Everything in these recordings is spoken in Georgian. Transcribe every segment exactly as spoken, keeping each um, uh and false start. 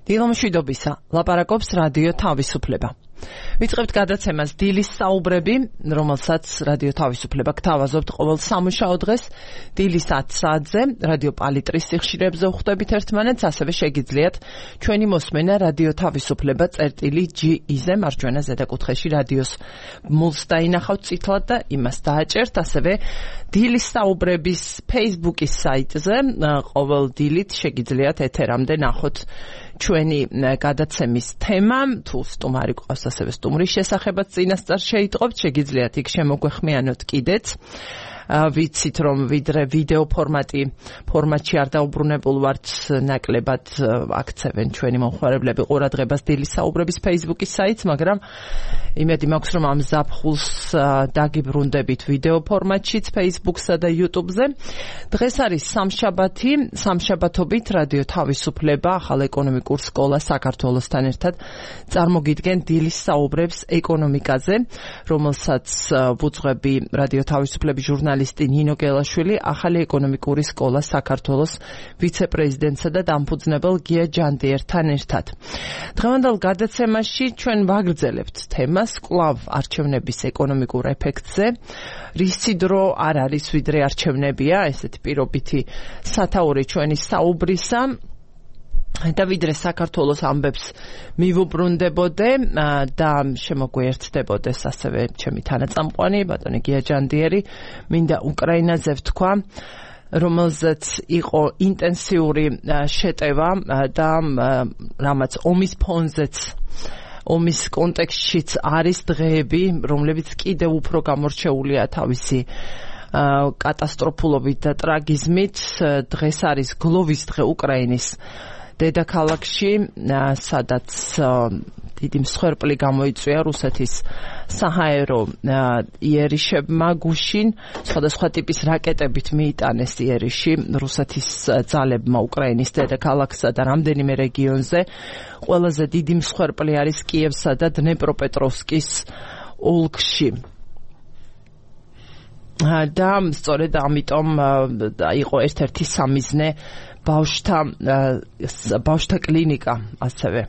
დილომშვიდობისა, ლაპარაკობს რადიო თავისუფლება. ვიწყებთ გადაცემას დილის საუბრები, რომელსაც რადიო თავისუფლება გთავაზობთ ყოველ სამუშაო დღეს დილის ათ საათზე, რადიო პალიტრის სიხშირეებზე ვხვდებით ერთმანეთს, ასევე შეგიძლიათ ჩვენი მოსმენა რადიო თავისუფლება წერტილი ჯი ი-ზე მარჯვენა ზედაკუთხეში რადიოს მულს დაინახავთ წითლად და იმას დააჭერთ, ასევე დილის საუბრების Facebook-ის საიტზე ყოველ დილით შეგიძლიათ ეთერამდე ნახოთ ჩვენი გადაცემის თემა, თუ სტუმარი გვყავს ასევე სტუმრის შესახებაც წინასწარ შეიტყობთ, შეგიძლიათ იქ შემოგვეხმიანოთ კიდეც. ვიცით რომ ვიდრე ვიდეო ფორმატი ფორმატში არ დაუბრუნებულ ვართ, ნაკლებად აქცევენ ჩვენი მომხმარებლები ყურადღებას დილის საუბრების Facebook-ის საიტს, მაგრამ იმედი მაქვს რომ ამ ზაფხულს დაგიბრუნდებით ვიდეო ფორმატშიც Facebook-სა და YouTube-ზე. დღეს არის სამშაბათი, სამშაბათობით რადიო თავისუფლება ახალ ეკონომიკურ სკოლა საქართველოსთან ერთად წარმოგიდგენ დილის საუბრებს ეკონომიკაზე, რომელსაც ვუძღვები რადიო თავისუფლების ჟურნალისტი ნინო გელაშვილი, ახალი ეკონომიკური სკოლა საქართველოს ვიცე-პრეზიდენტსა და დამფუძნებელ გია ჯანდიერთან ერთად. დღევანდელ გადაცემაში ჩვენ ვაგრძელებთ თემას კვლავ არჩევნების ეკონომიკურ ეფექტზე. რისი დრო არ არის ვიდრე არჩევნებია, ესეთი პირობითი სათაური ჩვენი საუბრისა. და ვიდრე საქართველოს ამბებს მივუბრუნდებოდე და შემოგვიერთდებოდეს ასევე ჩემი თანაწამყვანი ბატონი გია ჯანდიერი, მინდა უკრაინაზე ვთქვა, რომელზეც იყო ინტენსიური შეტევა და რამაც ომის ფონზეც ომის კონტექსტშიც არის დღეები, რომლებიც კიდევ უფრო გამორჩეულია თავისი კატასტროფულობით და ტრაგიზმით. დღეს არის გლოვის დღე უკრაინის დედაქალაქში, სადაც დიდი მსხვერპლი გამოიწვია რუსეთის საჰაერო იერიშებმა გუშინ, სხვადასხვა ტიპის რაკეტებით მიიტანეს იერიში რუსეთის ძალებმა უკრაინის დედაქალაქსა და რამდენიმე რეგიონზე. ყველაზე დიდი მსხვერპლი არის კიევსა და დნეპროპეტროვსკის ოლქში. და სწორედ ამიტომ იყო ერთ-ერთი სამიზნე ბავშვთა ბავშვთა კლინიკა ასევე.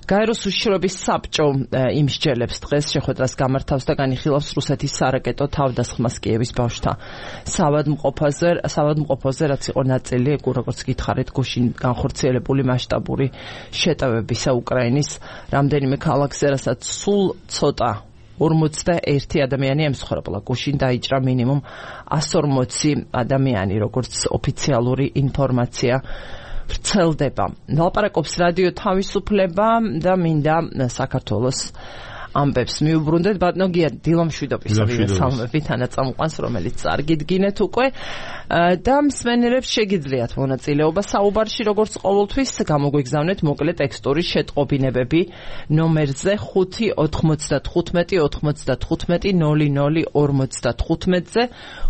გაეროს უშიშროების საბჭო იმსჯელებს დღეს შეხვედრას გამართავს და განიხილავს რუსეთის სარაკეტო თავდასხმას კიევის ბავშვთა საავადმყოფოზე, საავადმყოფოზე, რაც იყო ნაწილი, როგორც გითხარით, გუშინ განხორციელებული მასშტაბური შეტევებისა უკრაინის რამდენიმე ქალაქზე, რასაც სულ ცოტა ორმოცდაერთი ადამიანი ემსხვერპლა. გუშინ დაიჭრა მინიმუმ ასი ორმოცი ადამიანი, როგორც ოფიციალური ინფორმაცია ვრცელდება. ლაპარაკობს რადიო თავისუფლება და მინდა საქართველოს ამბებს მიუბრუნდეთ. ბატონო გია, დილომშვიდობისა, ვინმესალმები თანაწამყვანს, რომელიც წარგიდგინეთ უკვე და მსმენელებს შეგიძლიათ მონაწილეობა საუბარში, როგორც ყოველთვის გამოგვიგზავნეთ მოკლე ტექსტური შეტყობინებები ნომერზე ხუთი ოთხმოცდათხუთმეტი ოთხმოცდათხუთმეტი ნული ნული ორმოცდათხუთმეტზე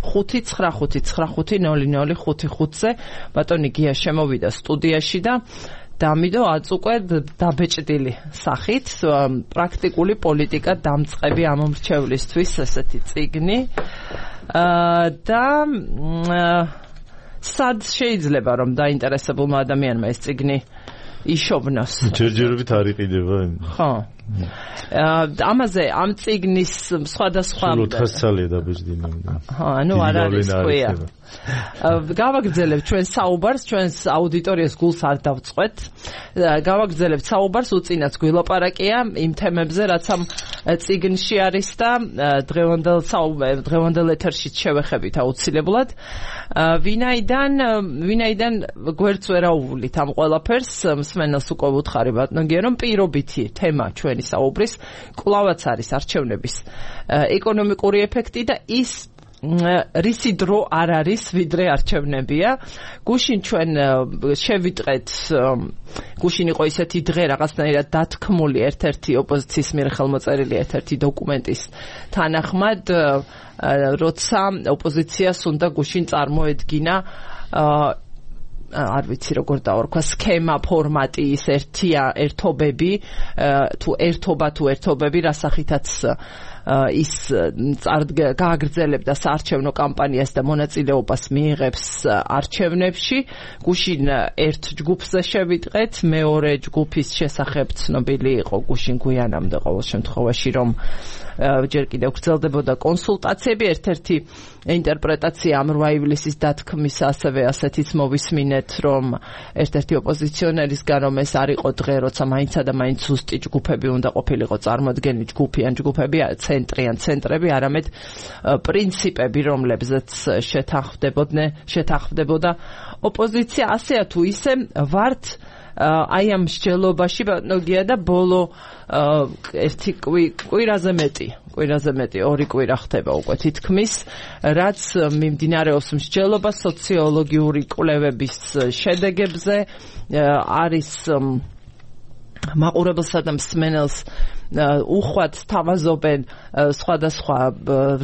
ხუთი ცხრა ხუთი ცხრა ხუთი ნული ნული ხუთი ხუთზე. ბატონი გია შემოვიდა სტუდიაში და დამიდო აწუყვე დაბეჭდილი სახით პრაქტიკული პოლიტიკა დამწყები ამომრჩევლისთვის ესეთი წიგნი და სად შეიძლება რომ დაინტერესებულმა ადამიანმა ეს წიგნი იშოვნოს? ჯერჯერობით არ იყიდება. ხო. ამაზე ამ წიგნის სხვადასხვა ოთხას ცალია დაბეჭდილი. ხო, ანუ არ არის ქვია. გავაგრძელებთ ჩვენ საუბარს, ჩვენს აუდიტორიას გულს არ დავწყვეთ. გავაგრძელებთ საუბარს, უწინაც გვილაპარაკია იმ თემებზე, რაც ამ წიგნში არის და დღევანდელ საუბარ, დღევანდელ ეთერშიც შევეხებით აუცილებლად. ვინაიდან, ვინაიდან გვერდს ვერ აუვლით ამ ყველაფერს, მსმენელს უკვე ვუთხარი ბატონო გია, რომ პირობითი თემა ჩვენი საუბრის კვლავაც არის არჩევნების ეკონომიკური ეფექტი და ის რისი დრო არ არის ვიდრე არჩევნებია. გუშინ ჩვენ შევიტყეთ, გუშინ იყო ისეთი დღე რაღაცნაირად დათქმული ერთ-ერთი ოპოზიციის მიერ ხელმოწერილი ერთ-ერთი დოკუმენტის თანახმად, როცა ოპოზიციას უნდა გუშინ წარმოედგინა არ ვიცი როგორ დავარქვა სქემა ფორმატი ის ერთია ერთობები თუ ერთობა თუ ერთობები რასახითაც ის გააგრძელებდა საარჩევნო კამპანიას და მონაწილეობას მიიღებს არჩევნებში. გუშინ ერთ ჯგუფზე შევიტყეთ, მეორე ჯგუფის შესახებ ცნობილი იყო გუშინ გვიანამდე ყოველ შემთხვევაში, რომ ჯერ კიდევ გრძელდებოდა კონსულტაციები. ერთ-ერთი ინტერპრეტაცია ამ რვა ივლისის დათქმის ასევე ასეთიც მოვისმინეთ, რომ ერთ-ერთი ოპოზიციონერისგან რომ ეს არ იყო დღე, როცა მაინცა და მაინც ზუსტი ჯგუფები უნდა ყოფილიყო წარმოდგენი ჯგუფიან ჯგუფები, ცენტრიან ცენტრები, არამედ პრინციპები, რომლებზეც შეთანხმდებოდნენ, შეთანხმდებოდა ოპოზიცია. ასეა თუ ისე ვართ აი ამ მსჯელობაში ბატონოგია და ბოლო ერთი კვირაზე მეტი კვირაზე მეტი ორი კვირა ხდება უკვე თითქმის, რაც მიმდინარეობს მსჯელობა სოციოლოგიური კვლევების შედეგებზე, არის მაყურებელსა და მსმენელს უხვად თავაზობენ სხვადასხვა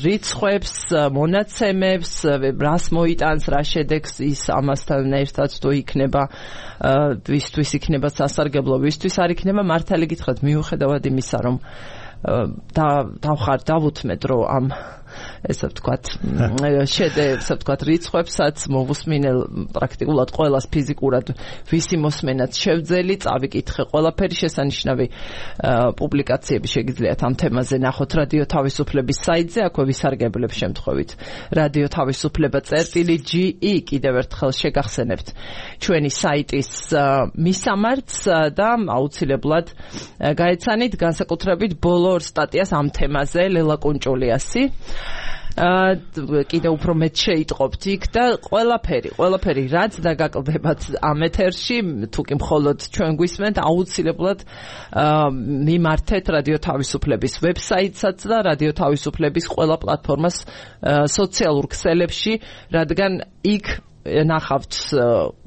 რიცხვებს, მონაცემებს, რას მოიტანს, რა შედეგს ის ამასთან ერთად თუ იქნება ვისთვის იქნება სასარგებლო, ვისთვის არ იქნება. მართალი გითხრათ, მიუხედავად იმისა, რომ და დავხარ დავუთმეთ, რომ ამ ესე ვთქვათ შედეგს, ესე ვთქვათ რიცხვებსაც მოვუსმინელ პრაქტიკულად ყველას ფიზიკურად ვისი მოსმენაც შევძელი, წავიკითხე ყველაფერი, შესანიშნავი პუბლიკაციები შეგიძლიათ ამ თემაზე ნახოთ რადიო თავისუფლების საიტზე, აქვე ვისარგებლებ შემთხვევით რადიო თავისუფლება წერტილი ჯი ი, კიდევ ერთხელ შეგახსენებთ ჩვენი საიტის მისამართს და აუცილებლად გაეცანით განსაკუთრებით ბოლო ორ სტატიას ამ თემაზე ლელა კუნჭულიასი. კიდევ უფრო მეტ შეიტყობთ იქ და ყველაფერი, ყველაფერი რაც დაგაკლდებათ ამ ეთერში, თუ კი მხოლოდ ჩვენ გვისმენთ, აუცილებლად მიმართეთ რადიო თავისუფლების ვებსაიტსაც და რადიო თავისუფლების ყველა პლატფორმას სოციალურ ქსელებში, რადგან იქ ნახავთ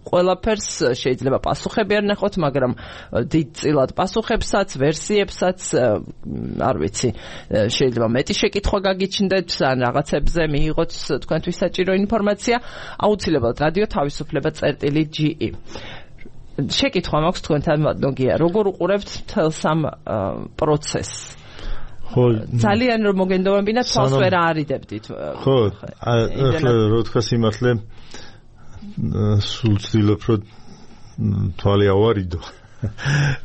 ყველაფერს, შეიძლება პასუხები არ ნახოთ, მაგრამ დიდწილად პასუხებსაც, ვერსიებსაც, არ ვიცი, შეიძლება მეტი შეკითხვა გაგიჩნდეთ, ან რაღაცებზე მიიღოთ თქვენთვის საჭირო ინფორმაცია, აუცილებლად რადიო თავისუფლება წერტილი ჯი ი. შეკითხვა მაქვს თქვენთან ბატონოგია, როგორ უყურებთ მთელს ამ პროცესს? ხო, ძალიან რომ მოგენდობებინა, თვალს ვერ აარიდებდით. ხო, ახლა რო თქვა სიმართლე, სულ ვცდილობ, რომ თვალი ავარიდო.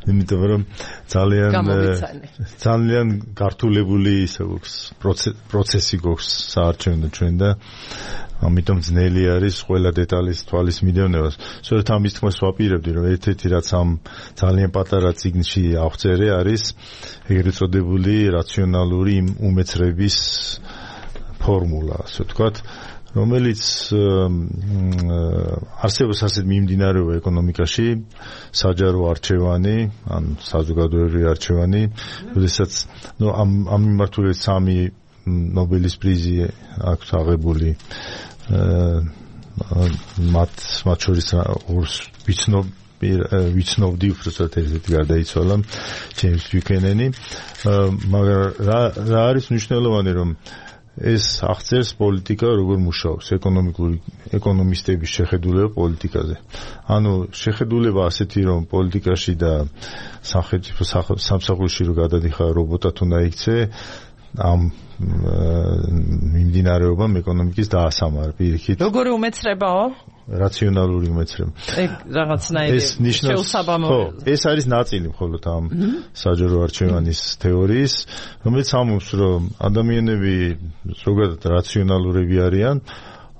იმიტომ რომ ძალიან ძალიან გართულებული ისე გვაქვს პროცესი გვაქვს საარჩევნო ჩვენ და ამიტომ ძნელი არის ყველა დეტალის თვალის მიდევნება. სწორედ ამის თქმას ვაპირებდი, რომ ერთ-ერთი რაც ამ ძალიან პატარა წიგნში აღწერე არის ეგრეთ წოდებული რაციონალური უმეცრების ფორმულა, ასე ვთქვათ, რომელიც არსებობს ასეთ მიმდინარეობა ეკონომიკაში, საჯარო არჩევანი, ან საზოგადოებრივი არჩევანი, როდესაც ნუ ამ ამ მიმართულებით სამი ნობელის პრიზი აქვს აღებული, მათ მათ შორის ორს ვიცნობ ვიცნობდი უბრალოდ ერთ-ერთი გარდაიცვალა, ჯეიმს ბიუქენენი, მაგრამ რა რა არის მნიშვნელოვანი, რომ ეს აღწერს პოლიტიკა როგორ მუშაობს, ეკონომიკური ეკონომისტების შეხედულება პოლიტიკაზე. ანუ შეხედულება ასეთი, რომ პოლიტიკაში და სახელმწიფო სამსახურში რო გადადიხარ რობოტად უნდა იქცე, ამ მიმდინარეობამ ეკონომიკის დაასამარა პირიქით. როგორი უმეცრებაო? რაციონალური უმეცრება. ეგ რაღაცნაირი შეუსაბამო. ეს არის ნაწილი მხოლოდ ამ საჯარო არჩევანის თეორიის, რომელიც ამობს, რომ ადამიანები ზოგადად რაციონალურები არიან,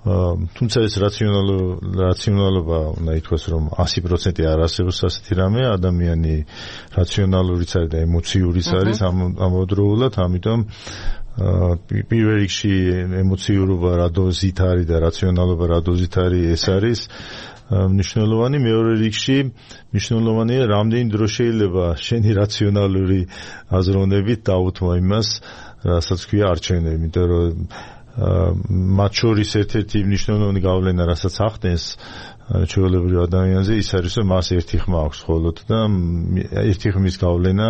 თუმცა ეს რაციონალობა უნდა ითქვას, რომ ასი პროცენტი არ არსებობს ასეთი რამე, ადამიანი რაციონალურიც არის და ემოციურიც არის ამავდროულად, ამიტომ პირველ რიგში ემოციურობა რა დოზით არის და რაციონალობა რა დოზით არის, ეს არის მნიშვნელოვანი. მეორე რიგში მნიშვნელოვანია, რამდენი დრო შეიძლება შენი რაციონალური აზროვნებით დაუთმო იმას, რასაც ქვია არჩევნები, იმიტომ რომ მათ შორის ერთ-ერთი მნიშვნელოვანი გავლენა, რასაც ახდენს ჩვეულებრივ ადამიანზე, ის არის, რომ მას ერთი ხმა აქვს მხოლოდ და ერთი ხმის გავლენა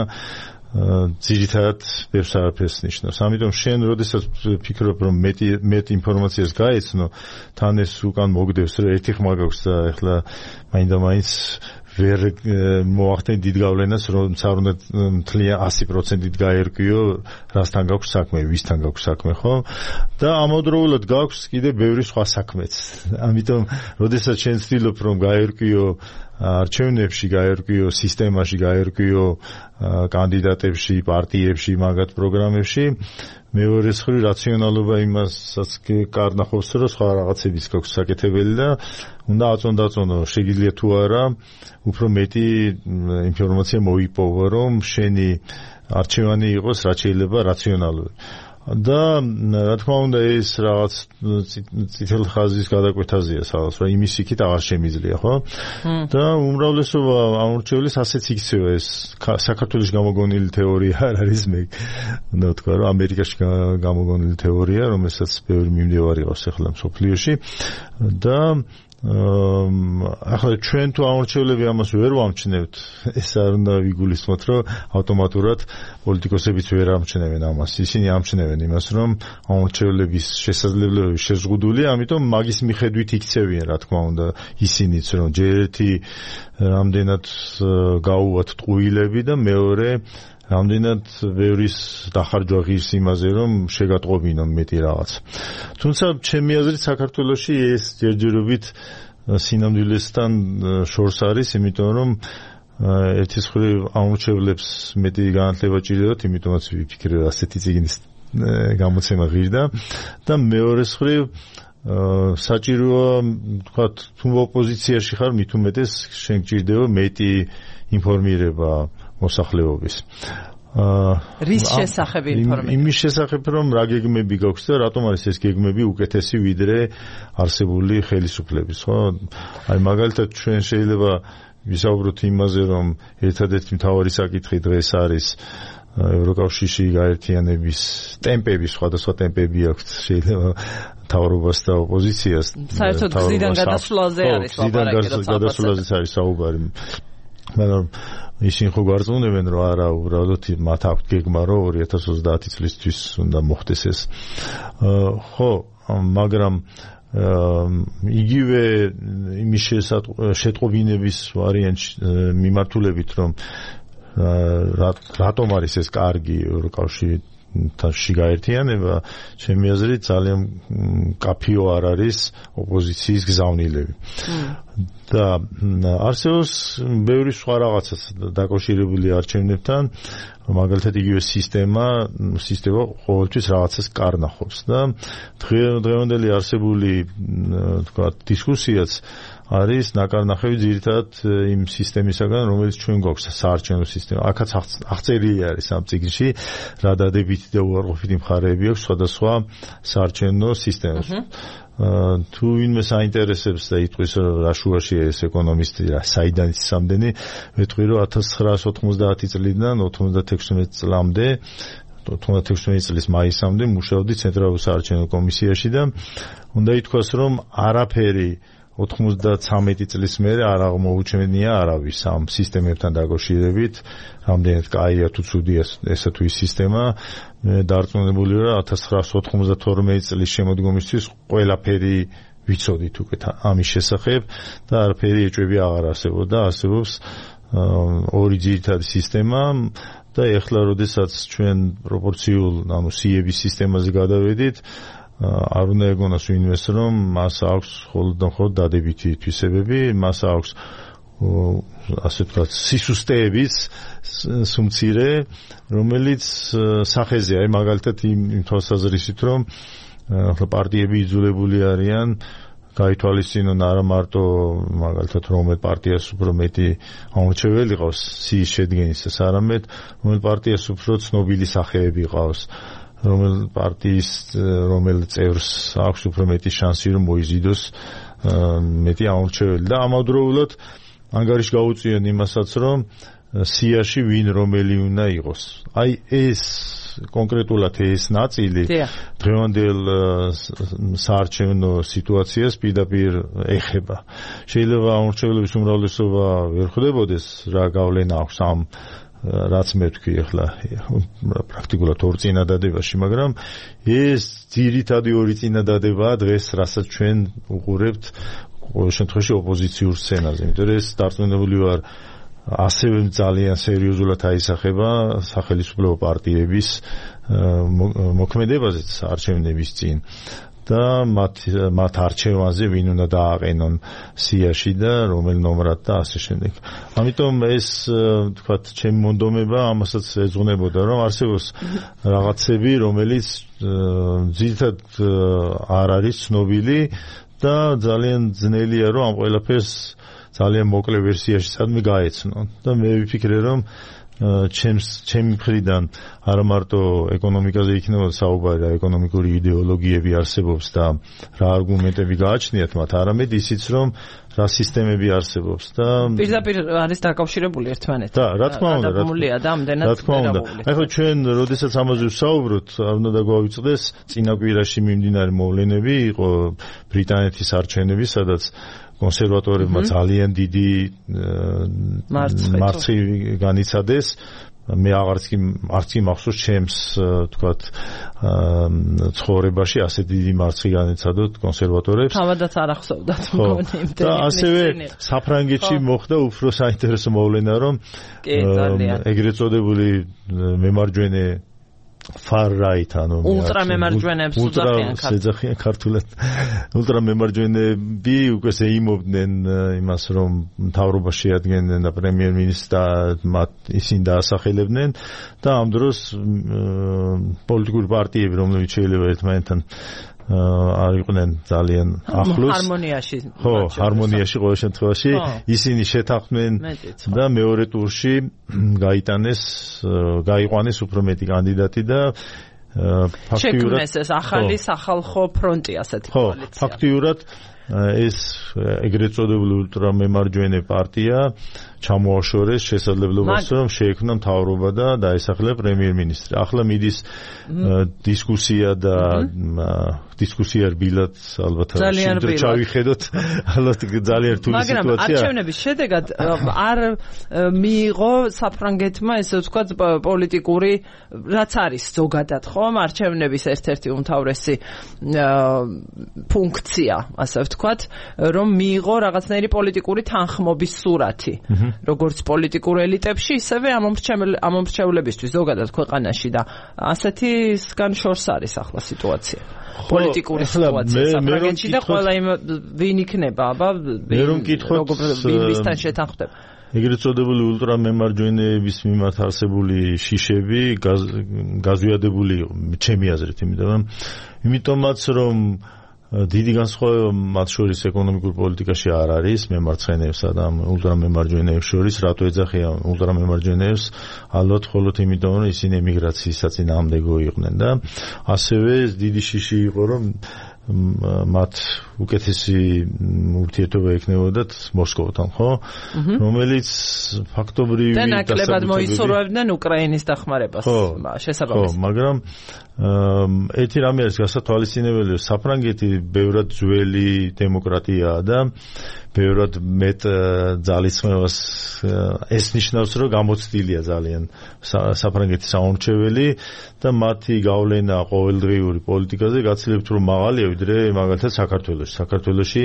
ძირითადად ბევრს არაფერს ნიშნავს. ამიტომ შენ როდესაც ფიქრობ რომ მეტი მეტ ინფორმაციას გაეცნო, თან ეს უკან მოგდევს რომ ერთი ხმა გაქვს და ეხლა მაინდა-მაინც ვერ მოახდენ დიდ გავლენას, რომ არ უნდა მთლიან ასი პროცენტით გაერკვიო, რასთან გაქვს საქმე, ვისთან გაქვს საქმე, ხო? და ამავდროულად გაქვს კიდე ბევრი სხვა საქმეც. ამიტომ, როდესაც შენ ცდილობ რომ გაერკვიო არჩევნებში, გაერკვიო სისტემაში, გაერკვიო კანდიდატებში, პარტიებში, მაგათ პროგრამებში, მეორე მხრივ რაციონალობა იმასაც კარ ნახობს, რომ სხვა რაღაცებიც გაქვს საკეთებელი და უნდა აწონდაწონო, შეგიძლია თუ არა, უფრო მეტი ინფორმაცია მოიპოვო, რომ შენი არჩევანი იყოს რაც შეიძლება რაციონალური. და რა თქმა უნდა ეს რაღაც წითელ ხაზის გადაკვეთაზეა სადაც რა იმის იქით აღარ შემიძლია ხო და უმრავლესობა ამორჩევლის ასეც იქცევა ეს საქართველოს გამოგონილი თეორია არ არის მე უნდა ვთქვა რომ ამერიკაში გამოგონილი თეორია რომელსაც ბევრი მიმდევარი ყავს ახლა მსოფლიოში და ახლა ჩვენ თუ ამორჩევლები ამას ვერ ვამჩნევთ ეს არ უნდა ვიგულისხმოთ რომ ავტომატურად პოლიტიკოსებიც ვერ ამჩნევენ ამას ისინი ამჩნევენ იმას რომ ამორჩევლების შესაძლებლობები შეზღუდულია ამიტომ მაგის მიხედვით იქცევიან რა თქმა უნდა ისინიც რომ ჯერ ერთი რამდენად გაუვათ ტყუილები და მეორე რამდენად ბევრის დახარჯვა ღირს იმაზე რომ შეგატყობინონ მეტი რაღაც. თუმცა ჩემი აზრით საქართველოში ეს ჯერჯერობით სინამდვილესთან შორს არის, იმიტომ რომ ერთის მხრივ ამორჩევლებს მეტი განათლება ჭირდებათ, იმიტომაც ვიფიქრე ასეთი წიგნის გამოცემა ღირდა და მეორე მხრივ საჭიროა თქვათ თუ ოპოზიციაში ხარ მით უმეტეს შენ გჭირდება მეტი ინფორმირება მოსახლეობის. რის შესახებ ინფორმირება? იმის შესახებ რომ რა გეგმები გაქვს და რატომ არის ეს გეგმები უკეთესი ვიდრე არსებული ხელისუფლების, ხო? აი მაგალითად ჩვენ შეიძლება ვისაუბროთ იმაზე რომ ერთადერთი მთავარი საკითხი დღეს არის ევროკავშირში გაერთიანების ტემპები, სხვადასხვა ტემპები აქვს შეიძლება მთავრობას და ოპოზიციას. საერთოდ გზიდან გადასვლაზე არის ლაპარაკი, გზიდან გადასვლაზეც არის საუბარი. მაგრამ ისინი ხო გვარწმუნებენ რომ არა უბრალოდ მათ აქვთ გეგმა რომ ორი ათას ოცდაათი წლისთვის უნდა მოხდეს ეს ხო მაგრამ იგივე იმის შეტყობინების ვარიანტი მიმართულებით რომ რატომ არის ეს კარგი ევროკავშირი თაში გაერთიანება ჩემი აზრით ძალიან კაფეო არ არის ოპოზიციის გზავნილები და არსებობს ბევრი სხვა რაღაცაც დაკავშირებული არჩევნებთან მაგალითად იგივე სისტემა სისტემა ყოველთვის რაღაცას კარნახობს და დღევანდელი არსებული თქვა დისკუსიაც არის ნაკარნახევი ძირითადად იმ სისტემისაგან რომელიც ჩვენ გვაქვს საარჩევნო სისტემა აქაც აღწერილი არის ამ წიგნში რა დადებითი და უარყოფითი მხარეები აქვს სხვადასხვა საარჩევნო სისტემას თუ ვინმე საინტერესებს და იტყვის რომ რა შუაშია ეს ეკონომისტი რა საიდან ის სამდენი ვეთქვი რომ ათას ცხრაასი ოთხმოცდაათი წლიდან ოთხმოცდათექვსმეტი წლამდე ოთხმოცდათექვსმეტი წლის მაისამდე მუშაობდი ცენტრალურ საარჩევნო კომისიაში და უნდა ითქვას რომ არაფერი ოთხმოცდათრამეტი წლის მერე არ აღმოუჩენია არავის ამ სისტემებთან დაკავშირებით რამდენად კაია თუ ცუდია ესა თუ ის სისტემა მე დარწმუნებული ვარ ათას ცხრაასი ოთხმოცდათორმეტი წლის შემოდგომისთვის ყველაფერი ვიცოდით უკვე ამის შესახებ და არაფერი ეჭვები აღარ არსებობდა არსებობს ორი ძირითადი სისტემა და ეხლა როდესაც ჩვენ პროპორციულ ანუ სიების სისტემაზე გადავედით არ უნდა ეგონას ვინმეს რომ მას აქვს მხოლოდ და მხოლოდ დადებითი თვისებები, მას აქვს ასე ვთქვათ სისუსტეების სუმცირე, რომელიც სახეზეა, აი მაგალითად იმ თვალსაზრისით რომ ახლა პარტიები იძულებული არიან გაითვალისწინონ არა მარტო მაგალითად რომელ პარტიას უფრო მეტი ამორჩეველი ყავს სიის შედგენისას, არამედ რომელ პარტიას უფრო ცნობილი სახეები ყავს. რომელ პარტიის რომელ წევრს აქვს უფრო მეტი შანსი რომ მოიზიდოს მეტი ამორჩეველი და ამავდროულად ანგარიში გაუწიონ იმასაც რომ სიაში ვინ რომელი უნდა იყოს. აი ეს კონკრეტულად ეს ნაწილი დღევანდელ საარჩევნო სიტუაციას პირდაპირ ეხება. შეიძლება ამორჩევლების უმრავლესობა ვერ ხვდებოდეს რა გავლენა აქვს ამ რაც მე ვთქვი ახლა პრაქტიკულად ორ წინადადებაში, მაგრამ ეს ძირითადი ორი წინადადებაა დღეს, რასაც ჩვენ უყურებთ ყოველ შემთხვევაში ოპოზიციურ სცენაზე, იმიტომ რომ ეს დარწმუნებული ვარ ასევე ძალიან სერიოზულად აისახება სახელმწიფო პარტიების მოქმედებაზეც არჩევნების წინ და მათ მათ არჩევანზე ვინ უნდა დააყენონ სიაში და რომელ ნომრად და ასე შემდეგ. ამიტომ ეს თქვათ ჩემი მონდომება ამასაც ეძღვნებოდა, რომ არსებობს რაღაცები, რომელიც ძირითადად არ არის ცნობილი და ძალიან ძნელია რომ ამ ყველაფერს ძალიან მოკლე ვერსიაში სადმე გაეცნონ და მე ვიფიქრე რომ ჩემს ჩემი მხრიდან არა მარტო ეკონომიკაზე იქნება საუბარი და ეკონომიკური იდეოლოგიები არსებობს და რა არგუმენტები გააჩნიათ მათ, არამედ ისიც რომ რა სისტემები არსებობს და პირდაპირ არის დაკავშირებული ერთმანეთთან. და რა თქმა უნდა, და ამდენად რა თქმა უნდა. ახლა ჩვენ როდესაც ამაზე ვსაუბრობთ, არ უნდა დაგვავიწყდეს წინა კვირაში მიმდინარე მოვლენები, იყო ბრიტანეთის არჩევნები, სადაც კონსერვატორებმა ძალიან დიდი მარცხი განიცადეს. მე აღარც კი არც კი მახსოვს ჩემს თქვათ ცხოვრებაში ასე დიდი მარცხი განიცადოთ კონსერვატორებს. თავადაც არ ახსოვდათ მგონი იმდენი. და ასევე საფრანგეთში მოხდა უფრო საინტერესო მოვლენა, რომ ეგრეთ წოდებული მემარჯვენე far right ანუ ultra მემარჯვენეებს უძახიან ქართულად ultra მემარჯვენეები უკვე ეიმობდნენ იმას რომ მთავრობას შეადგენდნენ და პრემიერ-მინისტრს მათ ისინი დაასახელებდნენ და ამ დროს პოლიტიკური პარტიები რომლებიც შეიძლება ერთმანეთთან არ იყვნენ ძალიან ახლოს ჰარმონიაში ხო ჰარმონიაში ყოველ შემთხვევაში ისინი შეთანხმდნენ და მეორე ტურში გაიტანეს გაიყვანეს უფრო მეტი კანდიდატი და ფაქტიურად ეს ახალი სახალხო ფრონტი ასეთი კოალიცია ხო ფაქტიურად ეს ეგრეთ წოდებული ულტრამემარჯვენე პარტია ჩამოაშორეს შესაძლებლობას რომ შეექმნა მთავრობა და დაესახლა პრემიერ-მინისტრი. ახლა მიდის დისკუსია და დისკუსია რბილად ალბათ შეიძლება ჩავიხედოთ ალბათ ძალიან რთული სიტუაცია. მაგრამ არჩევნების შედეგად არ მიიღო საფრანგეთმა ესე ვთქვათ პოლიტიკური რაც არის ზოგადად ხომ არჩევნების ერთ-ერთი უმთავრესი ფუნქცია ასე ვთქვათ რომ მიიღო რაღაცნაირი პოლიტიკური თანხმობის სურათი. როგორც პოლიტიკურ ელიტებში, ისევე ამომრჩევლებისთვის ზოგადად ქვეყანაში და ასეთისგან შორს არის ახლა სიტუაცია. პოლიტიკური სიტუაცია საფრანგეთში და ყველა იმ ვინ იქნება, აბა ვისთან შეთანხმდება. ეგრეთ წოდებული ულტრამემარჯვენეების მიმართ არსებული შიშები გაზვიადებული იყო, ჩემი აზრით, იმიტომ იმიტომაც რომ დიდი განსხვავება მათ შორის ეკონომიკურ პოლიტიკაში არ არის მემარცხენეებსა და ულტრამემარჯვენეებს შორის. რატო ეძახიან ულტრამემარჯვენეებს? ალბათ მხოლოდ იმიტომ, რომ ისინი ემიგრაციის საწინააღმდეგო იყვნენ და ასევე დიდი შიში იყო, რომ მათ უკეთესი ურთიერთობა ექნებოდათ მოსკოვთან, ხო? რომელიც ფაქტობრივი და ნაკლებად მოისურვებდნენ უკრაინის დახმარებას შესაბამისად. ხო, მაგრამ ერთი რამე არის გასათვალისწინებელი, საფრანგეთი ბევრად ძველი დემოკრატიაა და ბევრად მეტ ძალისხმევას ეს ნიშნავს, რომ გამოცდილია ძალიან საფრანგეთის საომრჩეველი და მათი გავლენა ყოველდღიური პოლიტიკაზე გაცილებით უფრო მაღალია ვიდრე მაგალითად საქართველოში. საქართველოში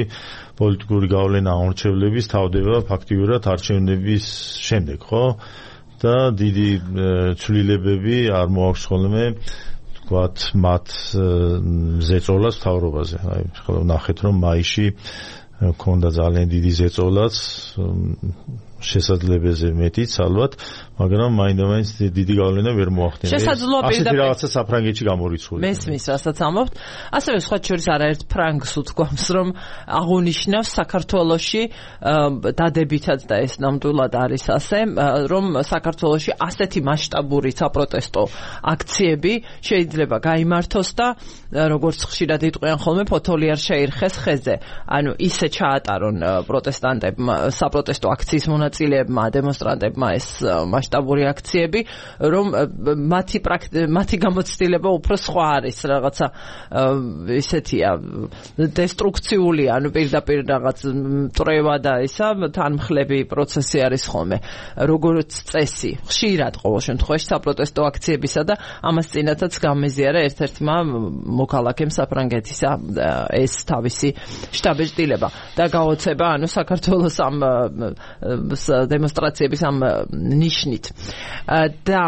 პოლიტიკური გავლენა აუმრჩევლების თავდება ფაქტიურად არჩევნების შემდეგ, ხო? და დიდი ცვლილებები არ მოაქვს ხოლმე ვთქვათ მათ ზეწოლას მთავრობაზე. აი ხოლმე ნახეთ რომ მაისში ქონდა ძალიან დიდი ზეწოლაც შესაძლებელზე მეტიც ალბათ, მაგრამ მაინდა-მაინც დიდი გავლენა ვერ მოახდინა. ასეთი რაღაცა საფრანგეთში გამორიცხული. მესმის, რასაც ამბობთ. ასევე სხვა შორის არაერთ ფრანგს უთქვამს, რომ აღუნიშნავს საქართველოში დადებითად და ეს ნამდვილად არის ასე, რომ საქართველოში ასეთი მასშტაბური საპროტესტო აქციები შეიძლება გაიმართოს და როგორც ხშირად იტყვიან ხოლმე ფოთოლი არ შეირხეს ხეზე. ანუ ისე ჩაატარონ პროტესტანტებმა საპროტესტო აქციის მონაწილეებმა, დემონსტრანტებმა ეს მასშტაბური აქციები, რომ მათი მათი გამოცდილება უფრო სხვა არის, რაღაცა ისეთია დესტრუქციული, ანუ პირდაპირ რაღაც მტრევა და ისა თანმხლები პროცესი არის ხოლმე, როგორც წესი. ხშირად ყოველ შემთხვევაში საპროტესტო აქციებისა და ამას წინათაც გამეზიარა ერთ-ერთმა მოქალაქემ საფრანგეთისა ეს თავისი შტაბ-ეტილება და გაოცება, ანუ საქართველოს ამ დემონსტრაციების ამ ნიშნით. და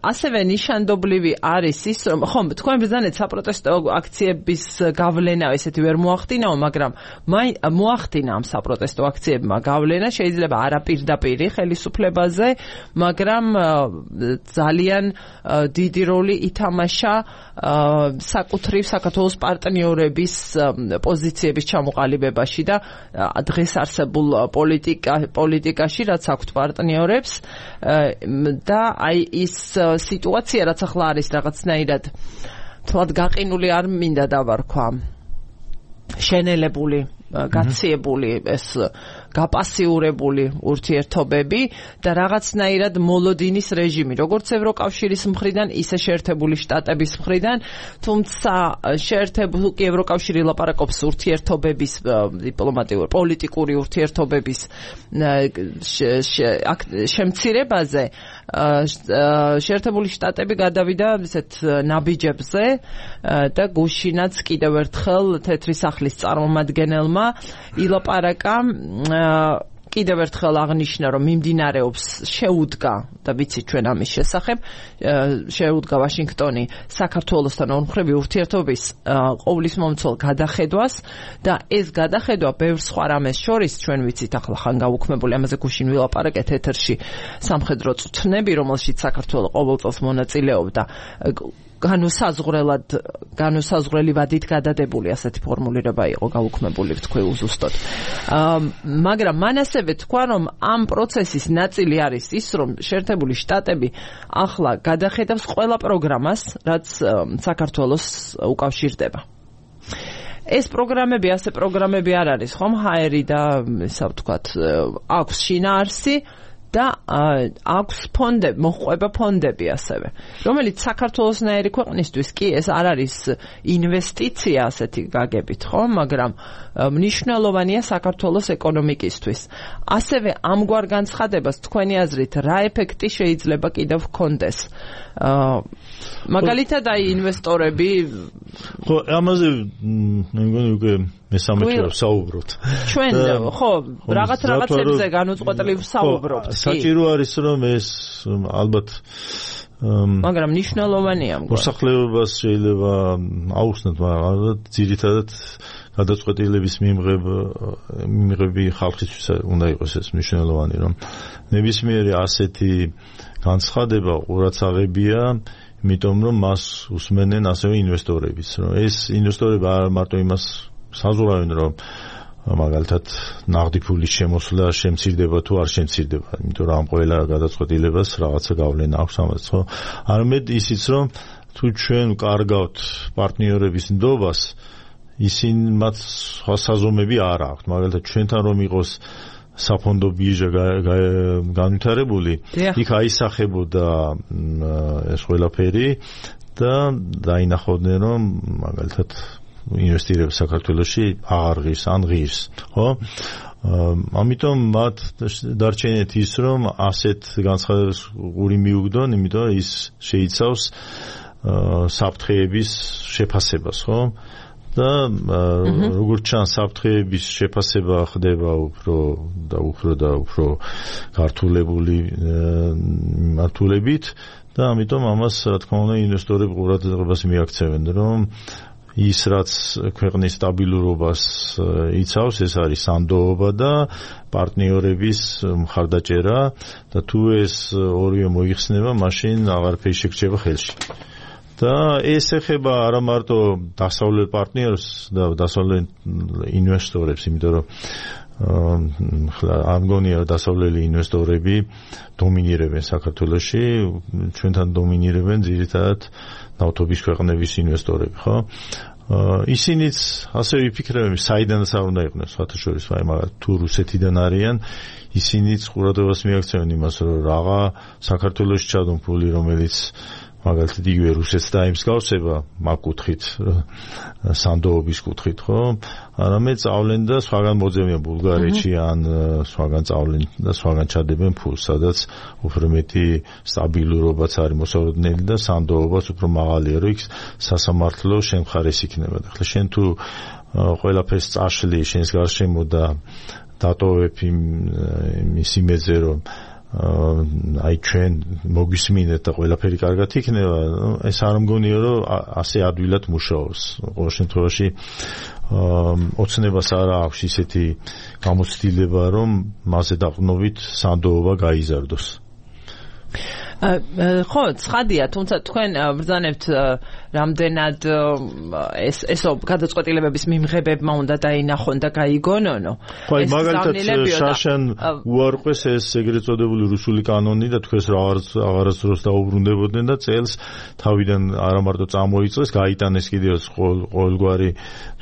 ასევე ნიშანდობლივი არის ის, რომ ხომ თქვენ ბრძანეთ საპროტესტო აქციების გავლენა ესეთი ვერ მოახდინაო, მაგრამ მოახდინა ამ საპროტესტო აქციებმა გავლენა, შეიძლება არაპირდაპირი ხელისუფლებაზე, მაგრამ ძალიან დიდი როლი ითამაშა საკუთრივ საქართველოს პარტნიორების პოზიციების ჩამოყალიბებაში და დღეს არსებულ პოლიტიკა პოლიტიკაში რაც აქვთ პარტნიორებს და აი ის სიტუაცია რაც ახლა არის რაღაცნაირად თლად გაყინული არ მინდა დავარქვა შენელებული გაციებული ეს გაპასიურებული ურთიერთობები და რაღაცნაირად მოლოდინის რეჟიმი, როგორც ევროკავშირის მხრიდან, ისე შეერთებული შტატების მხრიდან, თუმცა შეერთებული ევროკავშირი ლაპარაკობს ურთიერთობების დიპლომატიური, პოლიტიკური ურთიერთობების შემცირებაზე, შეერთებული შტატები გადავიდა ესეთ ნაბიჯებზე და გუშინაც კიდევ ერთხელ თეთრი სახლის წარმომადგენელმა ილაპარაკა კიდევ ერთხელ აღნიშნა, რომ მიმდინარეობს შეუდგა და ვიცით ჩვენ ამის შესახებ, შეუდგა ვაშინგტონი საქართველოსთან ორმხრივი ურთიერთობის ყოვლისმომცველ გადახედვას და ეს გადახედვა ბევრ სხვა რამეს შორის ჩვენ ვიცით ახლა ხან გაუქმებული, ამაზე გუშინ ვილაპარაკეთ ეთერში სამხედრო წვრთნები, რომელშიც საქართველო ყოველ წელს მონაწილეობდა განუსაზღვრელად განუსაზღვრელი ვადით გადადებული ასეთი ფორმულირება იყო გაუქმებული თქვი უზუსტოდ. მაგრამ მან ასევე თქვა, რომ ამ პროცესის ნაწილი არის ის, რომ შეერთებული შტატები ახლა გადახედავს ყველა პროგრამას, რაც საქართველოს უკავშირდება. ეს პროგრამები, ასე პროგრამები არ არის, ხომ? ჰაერი და ისა ვთქვათ, აქვს შინაარსი და აქვს ფონდები, მოჰყვება ფონდები ასევე, რომელიც საქართველოსნაირი ქვეყნისთვის კი ეს არ არის ინვესტიცია ასეთი გაგებით, ხო? მაგრამ მნიშვნელოვანია საქართველოს ეკონომიკისთვის. ასევე ამგვარ განცხადებას თქვენი აზრით რა ეფექტი შეიძლება კიდევ ჰქონდეს? მაგალითად აი ინვესტორები ხო, ამაზე მე მგონი უკვე მესამეჯერ ვსაუბრობთ. ჩვენ ხო, რაღაც რაღაცებზე განუწყვეტლივ ვსაუბრობთ. საჭირო არის რომ ეს ალბათ მაგრამ მნიშვნელოვანია. მოსახლეობას შეიძლება აუხსნათ, მაგრამ ძირითადად გადაწყვეტილების მიღები ხალხისთვის უნდა იყოს ეს მნიშვნელოვანი, რომ ნებისმიერი ასეთი განცხადება ყურადსაღებია, იმიტომ რომ მას უსმენენ ასევე ინვესტორებიც, რომ ეს ინვესტორები არ მარტო იმას საზღვრავენ, რომ მაგალითად ნაღდი ფულის შემოსვლა შემცირდება თუ არ შემცირდება, იმიტომ რომ ამ ყველა გადაწყვეტილებას რაღაცა გავლენა აქვს ამაზე, ხო? არამედ ისიც, რომ თუ ჩვენ ვკარგავთ პარტნიორების ნდობას, ისინი მათ სხვა საზომები არ აქვთ, მაგალითად ჩვენთან რომ იყოს საფონდო ბირჟა განვითარებული, იქ აისახებოდა ეს ყველაფერი და დაინახავდნენ, რომ მაგალითად ინვესტირება საქართველოში აღარ ღირს, ან ღირს, ხო? ამიტომ მათ დარჩენით ის, რომ ასეთ განცხადებას უარი მიუგდონ, იმიტომ ის შეიცავს საფრთხეების შეფასებას, ხო? და როგორც ჩანს საფრთხეების შეფასება ხდება უფრო და უფრო და უფრო გართულებული მართულებით და ამიტომ ამას რა თქმა უნდა ინვესტორები ყურადღებას მიაქცევენ, რომ ის რაც ქვეყნის სტაბილურობას იცავს, ეს არის სანდოობა და პარტნიორების მხარდაჭერა და თუ ეს ორივე მოიხსნება, მაშინ აღარაფერი შეგრჩება ხელში. და ეს ეხება არა მარტო დასავლელ პარტნიორს და დასავლელ ინვესტორებს, იმიტომ რომ ამ გონია დასავლელი ინვესტორები დომინირებენ საქართველოში, ჩვენთან დომინირებენ ძირითადად ნავთობის ქვეყნების ინვესტორები, ხო? ისინიც ასე ვიფიქრებენ, საიდანაც არ უნდა იყვნენ, სხვათა შორის, აი მაგალითად თუ რუსეთიდან არიან, ისინიც ყურადღებას მიაქცევენ იმას, რომ რაღა საქართველოში ჩადონ ფული, რომელიც მაგალითად იგივე რუსეთს დაიმსგავსება მაგ კუთხით, სანდოობის კუთხით, ხო? არამედ წავლენ და სხვაგან მოძებნიან ბულგარეთში ან სხვაგან წავლენ და სხვაგან ჩადებენ ფულს, სადაც უფრო მეტი სტაბილურობაც არის მოსალოდნელი და სანდოობაც უფრო მაღალია, რომ იქ სასამართლო შენ მხარეს იქნება. ახლა შენ თუ ყველაფერს წაშლი შენს გარშემო და დატოვებ იმის იმედზე, რომ აი ჩვენ მოგვისმინეთ და ყველაფერი კარგად იქნება, ეს არ მგონია, რომ ასე ადვილად მუშაობს. ყოველ შემთხვევაში ოცნებას არ აქვს ისეთი გამოცდილება, რომ მასზე დაყრდნობით სანდოობა გაიზარდოს. ხო, ცხადია, თუმცა თქვენ ბრძანებთ რამდენად ეს ესო გადაწყვეტილებების მიმღებებმა უნდა დაინახონ და გაიგონონო. ხო, მაგალითად შაშან უარყვეს ეს ეგრეთ წოდებული რუსული კანონი და თქვენს აღარასდროს დაუბრუნდებოდნენ და წელს თავიდან არა მარტო წამოიწეს, გაიტანეს კიდევ ყოველგვარი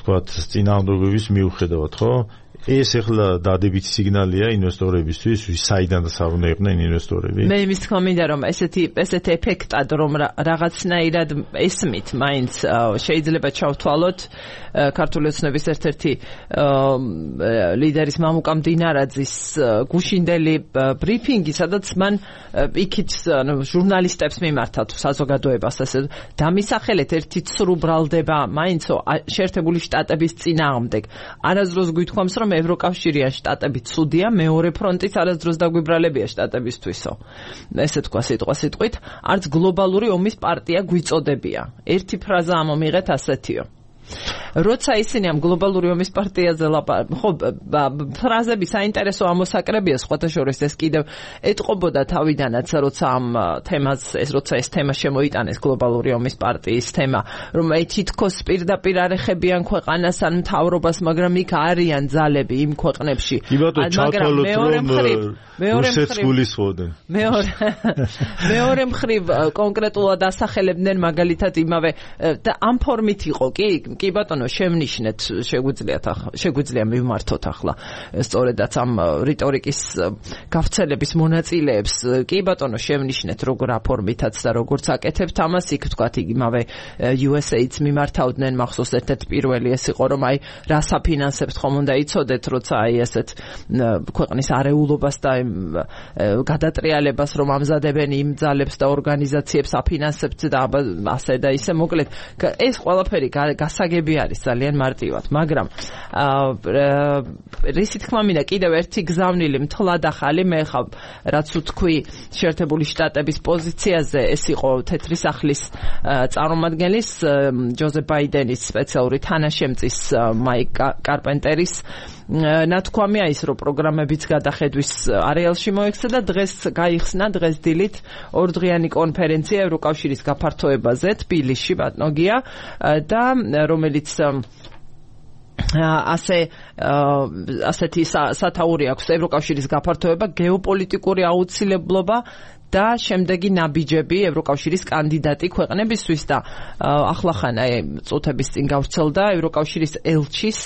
თქვათ წინააღმდეგობის მიუხედავად, ხო? ეს ახლა დადებითი სიგნალია ინვესტორებისთვის, საიდანაც არ უნდა იყვნენ ინვესტორები. მე იმის თქმა მინდა, რომ ესეთი ესეთი ეფექტად, რომ რაღაცნაირად ესმით, მაინც შეიძლება ჩავთვალოთ ქართული ოცნების ერთ-ერთი ლიდერის მამუკა მდინარაძის გუშინდელი ბრიფინგი, სადაც მან იქით ჟურნალისტებს მიმართა თუ საზოგადოებას ასე დამისახელეთ ერთი ცრუ ბრალდება მაინცო შეერთებული შტატების წინააღმდეგ. არასდროს გვითხოვს, რომ ევროკავშირი ან შტატები ცუდია, მეორე ფრონტიც არასდროს დაგვიბრალებია შტატებისთვისო. ესე თქვა სიტყვა სიტყვით, არც გლობალური ომის პარტია გვიწოდებია. ერთი ფრაზა ამომიღეთ ასეთიო. როცა ისინი ამ გლობალური ომის პარტიაზე ლაპარაკობენ, ხო, ფრაზები საინტერესო ამოსაკრებია, სხვათა შორის ეს კიდევ ეტყობოდა თავიდანაც, როცა ამ თემას, ეს როცა ეს თემა შემოიტანეს გლობალური ომის პარტიის თემა, რომ აი თითქოს პირდაპირ არ ეხებიან ქვეყანას ან მთავრობას, მაგრამ იქ არიან ძალები იმ ქვეყნებში. მაგრამ მეორე მხრივ, მეორე მხრივ, მეორე მეორე მხრივ კონკრეტულად ასახელებდნენ მაგალითად იმავე და ამ ფორმით იყო კი კი ბატონო შემნიშნეთ შეგვიძლიათ შეგვიძლია მივმართოთ ახლა სწორედაც ამ რიტორიკის გავრცელების მონაწილეებს კი ბატონო შემნიშნეთ როგორ აფორმითაც და როგორც აკეთებთ ამას იქ თქვათ იმავე იუ ეს ეი-ს მიმართავდნენ მახსოვს ერთ-ერთი პირველი ეს იყო რომ აი რა საფინანსებთ ხომ უნდა იცოდეთ როცა აი ესეთ ქვეყნის არეულობას და გადატრიალებას რომ ამზადებენ იმ ძალებს და ორგანიზაციებს აფინანსებთ და ასე და ისე მოკლედ ეს ყველაფერი გასაგები არის ძალიან მარტივად, მაგრამ რისი თქმა მინდა კიდევ ერთი გზავნილი მთლად ახალი მე ხა რაც ვთქვი შეერთებული შტატების პოზიციაზე ეს იყო თეთრი სახლის წარმომადგენლის ჯოზეფ ბაიდენის სპეციალური თანაშემწის მაიკ კარპენტერის ნათქვამია ის რომ პროგრამებიც გადახედვის არეალში მოექცა და დღეს გაიხსნა დღეს დილით ორდღიანი კონფერენცია ევროკავშირის გაფართოებაზე თბილისში ბატონგია და რომელიც ასე ასეთი სათაური აქვს ევროკავშირის გაფართოება გეოპოლიტიკური აუცილებლობა და შემდეგი ნაბიჯები ევროკავშირის კანდიდატი ქვეყნებისთვის და ახლახან აი წუთების წინ გავრცელდა ევროკავშირის ელჩის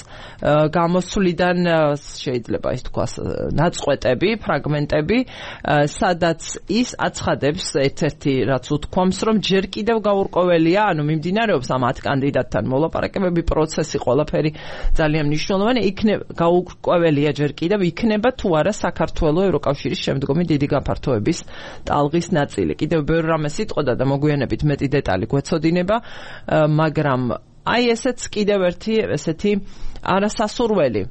გამოსვლიდან შეიძლება ის თქვას ნაწყვეტები, ფრაგმენტები, სადაც ის აცხადებს ერთ-ერთი რაც უთქვამს, რომ ჯერ კიდევ გაურკვეველია, ანუ მიმდინარეობს ამ ათ კანდიდატთან მოლაპარაკებები, პროცესი, ყველაფერი ძალიან მნიშვნელოვანი, იქნება გაურკვეველია ჯერ კიდევ იქნება თუ არა საქართველოს ევროკავშირის შემდგომი დიდი გაფართოების ალღის ნაწილი. კიდევ ბევრ რამეს იტყოდა და მოგვიანებით მეტი დეტალი გვეცოდინება, მაგრამ აი ესეც კიდევ ერთი ესეთი არასასურველი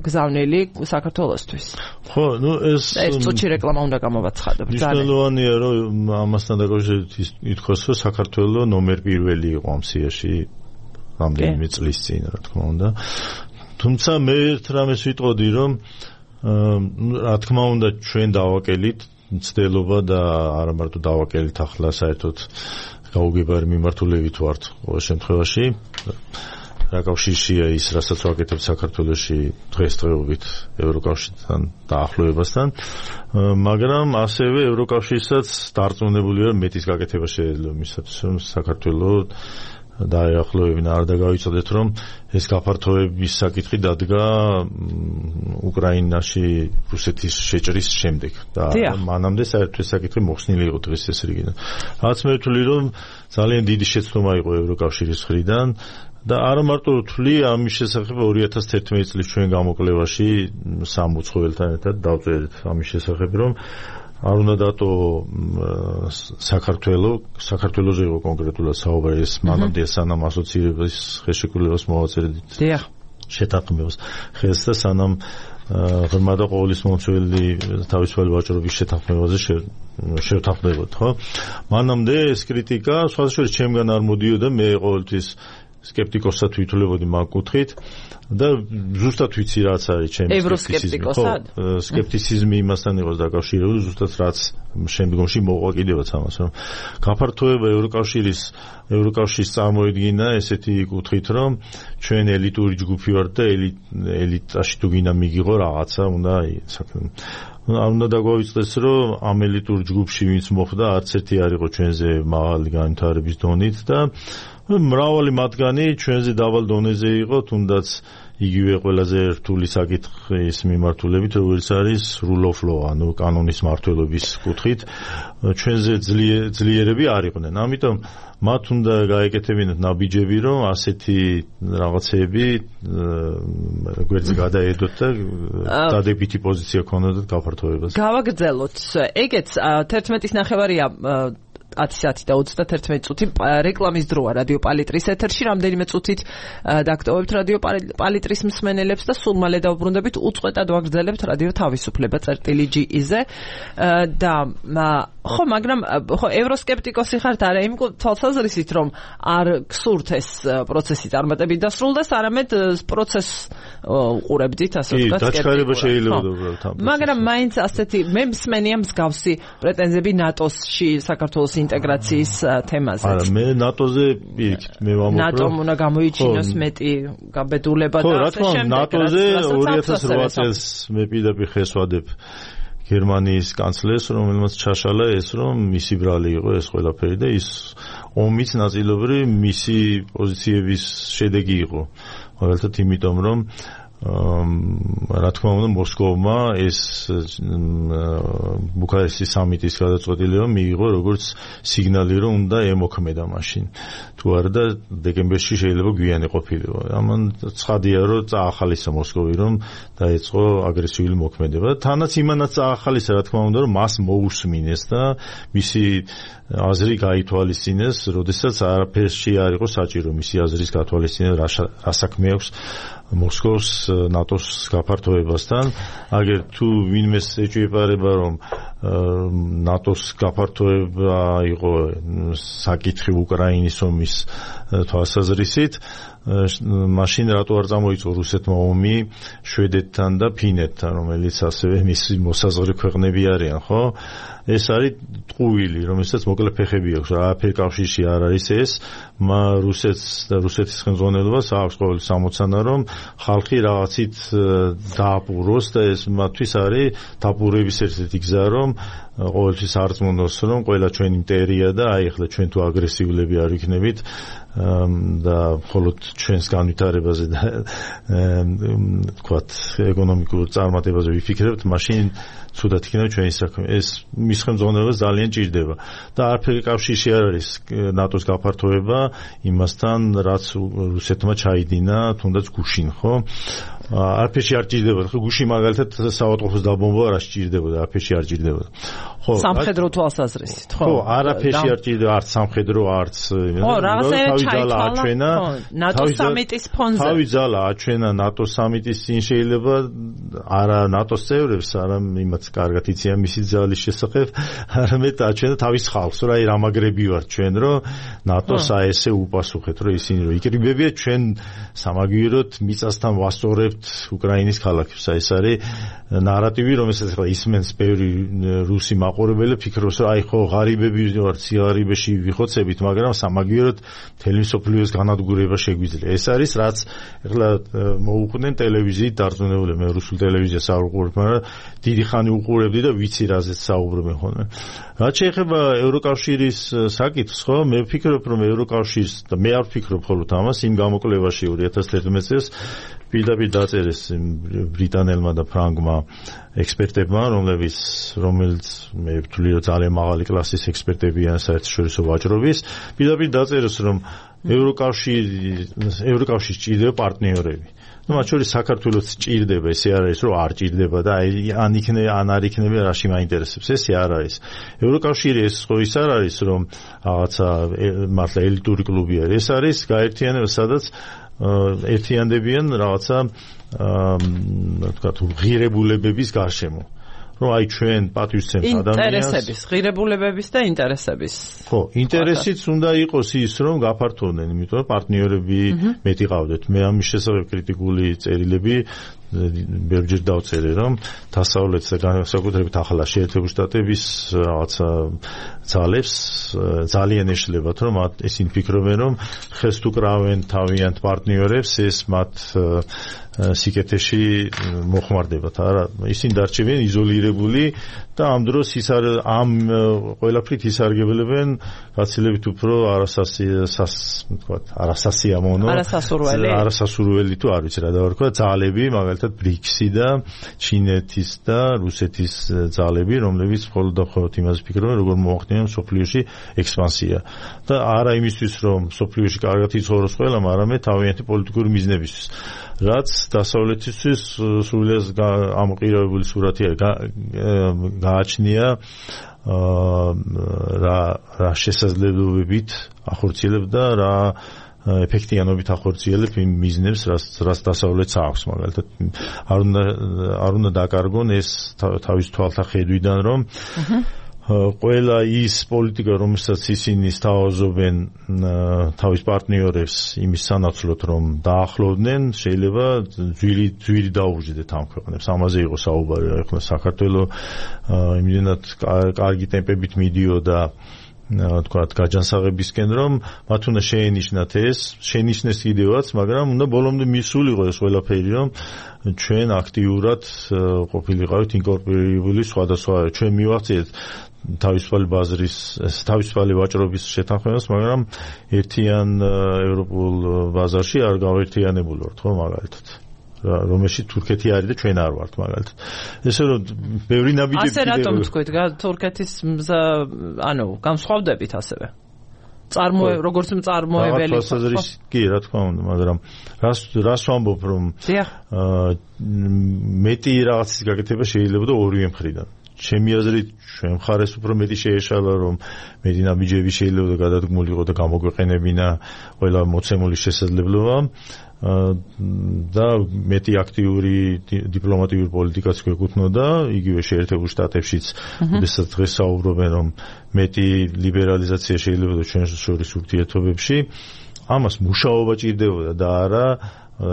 გზავნილი საქართველოსთვის. ხო, ნუ ეს ეს წუთში რეკლამა უნდა გამოვაცხადო. მნიშვნელოვანია რომ ამასთან დაკავშირებით ითქვას, რომ საქართველოს ნომერ პირველი იყო ამ სიაში რამდენიმე წლის წინ, რა თქმა უნდა. თუმცა მე ერთ რამეს ვიტყოდი, რომ რა თქმა უნდა ჩვენ დავაკელით მცდელობა და არა მარტო დავაკელით ახლა საერთოდ გაუგებარი მიმართულებით ვართ ყოველ შემთხვევაში რა კავშირშია ის რასაც ვაკეთებთ საქართველოში დღესდღეობით ევროკავშირთან დაახლოებასთან მაგრამ ასევე ევროკავშირსაც დარწმუნებული ვარ მეტის გაკეთება შეიძლება მისათვის რომ საქართველოს დაეახლოვებინა, არ დაგავიცოდეთ, რომ ეს გაფართოების საკითხი დადგა უკრაინაში რუსეთის შეჭრის შემდეგ და მანამდე საერთოდ ეს საკითხი მოხსნილი იყო დღეს ეს რიგიდან. რაც მე ვთვლი, რომ ძალიან დიდი შეცდომა იყო ევროკავშირის მხრიდან და არა მარტო ვთვლი ამის შესახებ ორი ათას თერთმეტი წლის ჩვენ გამოკვლევაში სამ უცხოელთან ერთად დავწერეთ ამის შესახებ, რომ არ უნდა დატო საქართველო, საქართველოზე იყო კონკრეტულად საუბარი, ეს მანამდე სანამ ასოცირების ხელშეკრულებას მოვაწერდით. დიახ. შეთანხმებას ხელს და სანამ ღრმა და ყოვლის მომცველი თავისუფალი ვაჭრობის შეთანხმებაზე შევთანხმდებოდ, ხო? მანამდე ეს კრიტიკა სხვადასხვა ჩემგან არ მოდიოდა, მე ყოველთვის სკეპტიკოსად ვითვლებოდი მაგ კუთხით და ზუსტად ვიცი რაც არის ჩემი ევროსკეპტიკოსად? სკეპტიციზმი იმასთან იყოს დაკავშირებული, ზუსტად რაც შემდგომში მოყვა კიდევაც ამას, რომ გაფართოება ევროკავშირის ევროკავშირის წარმოედგინა ესეთი კუთხით, რომ ჩვენ ელიტური ჯგუფი ვართ და ელიტაში თუ გინდა მიგიღო რაღაცა, უნდა საქმე არ უნდა დაგვავიწყდეს, რომ ამ ელიტურ ჯგუფში ვინც მოხვდა, არც ერთი არ იყო ჩვენზე მაღალი განვითარების დონით და მრავალი მათგანი ჩვენზე დაბალ დონეზე იყო, თუნდაც იგივე ყველაზე რთული საკითხის მიმართულებით, როგორც არის rule of law, ანუ კანონის მართლობის კუთხით, ჩვენზე ძლიერები არ იყვნენ. ამიტომ მათ უნდა გაეკეთებინათ ნაბიჯები, რომ ასეთი რაღაცეები გვერდზე გადაედოთ და დადებითი პოზიცია ქონოდათ გაფართოებას. გავაგრძელოთ. ეგეც თერთმეტის ნახევარია ათი საათი და ოცდათერთმეტი წუთი რეკლამის დროა რადიო პალიტრის ეთერში. რამდენიმე წუთით დაგტოვებთ რადიო პალიტრის მსმენელებს და სულ მალე დავბრუნდებით უწყვეტად ვაგრძელებთ რადიო თავისუფლება წერტილი ჯი-ზე და ხო, მაგრამ ხო ევროსკეპტიკოსი ხართ არა იმ თვალსაზრისით, რომ არ გსურთ ეს პროცესი წარმატებით დასრულდეს, არამედ პროცესს უყურებდით, ასე ვთქვათ, დაჩქარება შეიძლება უბრალოდ. მაგრამ მაინც ასეთი მე მსმენია მსგავსი პრეტენზიები ნატოში საქართველოს ინტეგრაციის თემაზე. არა, მე ნატოზე პირიქით მე ვამბობ, ნატომ უნდა გამოიჩინოს მეტი გაბედულება და ასე შემდეგ. ნატოზე ორი ათას ოთხ წელს მე პირდაპირ ხეს ვადებ გერმანიის კანცლერს, რომელმაც ჩაშალა ეს, რომ მისი ბრალი იყო ეს ყველაფერი და ის ომის ნაწილობრივ მისი პოზიციების შედეგი იყო. მაგალითად იმიტომ, რომ რა თქმა უნდა მოსკოვმა ეს ბუქარესტის სამიტის გადაწყვეტილება მიიღო როგორც სიგნალი, რომ უნდა ემოქმედა მაშინ. თუ არა და დეკემბერში შეიძლება გვიანი ყოფილიყო. ამან ცხადია, რომ წაახალისა მოსკოვი, რომ დაეწყო აგრესიული მოქმედება. თანაც იმანაც წაახალისა, რა თქმა უნდა, რომ მას მოусმინეს და მისი აზრი გაითვალისწინეს, როდესაც არაფერში არ იყო საჭირო მისი აზრის გათვალისწინება, რა საქმე აქვს მოსკოვს ნატოს გაფართოებასთან. აგერ თუ ვინმეს ეჭვიეპარება, რომ ნატოს გაფართოება იყო საკითხი უკრაინის ომის თვალსაზრისით, მაშინ რატო არ წამოიწყო რუსეთმა ომი შვედეთთან და ფინეთთან, რომელიც ასევე მისი მოსაზღვრე ქვეყნები არიან, ხო? ეს არის ტყუილი, რომელსაც მოკლე ფეხები აქვს, არაფერი კავშირში არ არის ეს, რუსეთს და რუსეთის ხელმძღვანელობას აქვს ყოველი სამოცანა, რომ ხალხი რაღაცით დააპუროს და ეს მათთვის არის დაპურების ერთ-ერთი გზა, რომ ყოველთვის არწმუნოს, რომ ყველა ჩვენი მტერია და აი ახლა ჩვენ თუ აგრესიულები არ ვიქნებით და მხოლოდ ჩვენს განვითარებაზე და თქვათ ეკონომიკურ წარმატებაზე ვიფიქრებთ, მაშინ ცუდად იქნება ჩვენი საქმე. ეს მის ხელმძღვანელობას ძალიან ჭირდება და არაფერი კავშირში არ არის ნატოს გაფართოება იმასთან, რაც რუსეთმა ჩაიდინა თუნდაც გუშინ, ხო? არაფერში არ ჭირდებოდა. ხო, გუში მაგალითად საავადმყოფოს დაბომბვა არ ჭირდებოდა, არაფერში არ ჭირდებოდა. ხო, სამხედრო თვალსაზრისით, ხო? ხო, არაფერში არ ჭირდება, არც სამხედრო, არც ხო, რაღაცა ჩაითვალა ნატოს სამიტის ფონზე. თავი ძალა აჩვენა ნატოს სამიტის წინ, შეიძლება არა ნატოს წევრებს, არა იმაც კარგად იციან მისი ძალის შესახებ, არამედ აჩვენა თავის ხალხს, რა აი რამაგრები ვართ ჩვენ, რომ ნატოს აესე უპასუხეთ, რომ ისინი რომ იკრიბებიან ჩვენ სამაგიეროდ მიწასთან ვასწორებთ უკრაინის ქალაქებს. აი ეს არის ნარატივი, რომელსაც ახლა ისმენს ბევრი რუსი მაყურებელი, ფიქრობს, რომ აი ხო ღარიბები ვართ, სიღარიბეში ვიხოცებით, მაგრამ სამაგიეროდ მთელი მსოფლიოს განადგურება შეგვიძლია შეგვიძლია. ეს არის რაც ეხლა მოუყვნენ ტელევიზიით დარწმუნებული მე რუსულ ტელევიზიას არ უყურებ, მაგრამ დიდი ხანი უყურებდი და ვიცი რაზეც საუბრობენ ხოლმე. რაც შეეხება ევროკავშირის საკითხს, ხო, მე ვფიქრობ, რომ ევროკავშირის და მე არ ვფიქრობ მხოლოდ ამას, იმ გამოკვლევაში ორი ათას თერთმეტ წელს პირდაპირ დაწერეს ბრიტანელმა და ფრანგმა ექსპერტებმა, რომლებიც რომელიც მე ვთვლი, რომ ძალიან მაღალი კლასის ექსპერტებიან საერთაშორისო ვაჭრობის, პირდაპირ დაწერეს, რომ ევროკავშირი ევროკავშირს ჭირდება პარტნიორები. ну მათ შორის საქართველოს ჭირდება, ესე არ არის, რომ არ ჭირდება და აი ან იქნება, ან არ იქნება, რაში მაინტერესებს, ესე არ არის. ევროკავშირი ეს ხო ის არ არის, რომ რაღაცა მართლა ელიტური კლუბი არის. ეს არის გაერთიანება, სადაც ერთიანდებიან რაღაცა თქვა თუ ღირებულებების გარშემო. რომ აი ჩვენ პატივისცემთ ადამიანს ინტერესების, ღირებულებების და ინტერესების. ხო, ინტერესიც უნდა იყოს ის, რომ გაფართოვდნენ, იმიტომ რომ პარტნიორები მეტი ყავდეთ. მე ამის შესახებ კრიტიკული წერილები ბევრჯერ დავწერე, რომ დასავლეთს და განსაკუთრებით ახლა შეერთებული შტატების რაღაცა ძალებს ძალიან ეშლებათ, რომ ისინი ფიქრობენ, რომ ხეს თუ კრავენ თავიანთ პარტნიორებს, ეს მათ სიკეთეში მოხმარდებათ. არა, ისინი დარჩებიან იზოლირებული და ამ დროს ის არ ამ ყველაფრით ისარგებლებენ გაცილებით უფრო არასასიამოვნო, არასასურველი, არასასურველი თუ არ ვიცი რა დავარქვა, ძალები, მაგალითად ბრიქსი და ჩინეთის და რუსეთის ძალები, რომლებიც მხოლოდ და მხოლოდ იმას ფიქრობენ, როგორ მოახდინონ სოფლიოში ექსპანსია. და არა იმისთვის, რომ სოფლიოში კარგად იცხოვროს ყველამ, არამედ თავიანთი პოლიტიკური მიზნებისთვის. რაც დასავლეთისთვის სრულიად ამოყირებული სურათი გააჩნია რა რა შესაძლებლობებით ახორციელებდა რა ეფექტიანობით ახორციელებ იმ მიზნებს, რაც რაც დასავლეთს აქვს, მაგალითად არ უნდა არ უნდა დაკარგონ ეს თავის თვალთახედვიდან, რომ ყველა ის პოლიტიკა, რომელსაც ისინი სთავაზობენ თავის პარტნიორებს იმის სანაცვლოდ, რომ დაახლოვდნენ, შეიძლება ძვირი ძვირი დაუჯდეთ ამ ქვეყნებს. ამაზე იყო საუბარი, ახლა საქართველოს იმდენად კარგი ტემპებით მიდიოდა თქვათ გაჯანსაღებისკენ, რომ მათ უნდა შეენიშნათ ეს, შეენიშნეს კიდევაც, მაგრამ უნდა ბოლომდე მისულიყო ეს ყველაფერი, რომ ჩვენ აქტიურად ყოფილიყავით ინკორპორირებული სხვადასხვა, ჩვენ მივახციეთ თავისუფალი ბაზრის, თავისუფალი ვაჭრობის შეთანხმებას, მაგრამ ერთიან ევროპულ ბაზარში არ გავერთიანებული ვართ, ხო, მაგალითად. რომელშიც თურქეთი არის და ჩვენ არ ვართ, მაგალითად. ესე რომ ბევრი ნაბიჯები ასე რატომ თქვით, თურქეთის ანუ განსხვავდებით ასევე? წარმოე როგორც მწარმოებელი. კი, რა თქმა უნდა, მაგრამ რას რას ვამბობ, რომ მეტი რაღაცის გაკეთება შეიძლება და ორივე მხრიდან. ჩემი აზრით, ჩვენ მხარეს უფრო მეტი შეეშალა, რომ მეტი ნაბიჯები შეიძლება გადადგმულიყო და გამოგვეყენებინა ყველა მოცემული შესაძლებლობა და მეტი აქტიური დიპლომატიური პოლიტიკაც გვეკუთვნოდა, იგივე შეერთებულ შტატებშიც, როდესაც დღეს საუბრობენ, რომ მეტი ლიბერალიზაცია შეიძლება ჩვენ შორის ურთიერთობებში, ამას მუშაობა ჭირდებოდა და არა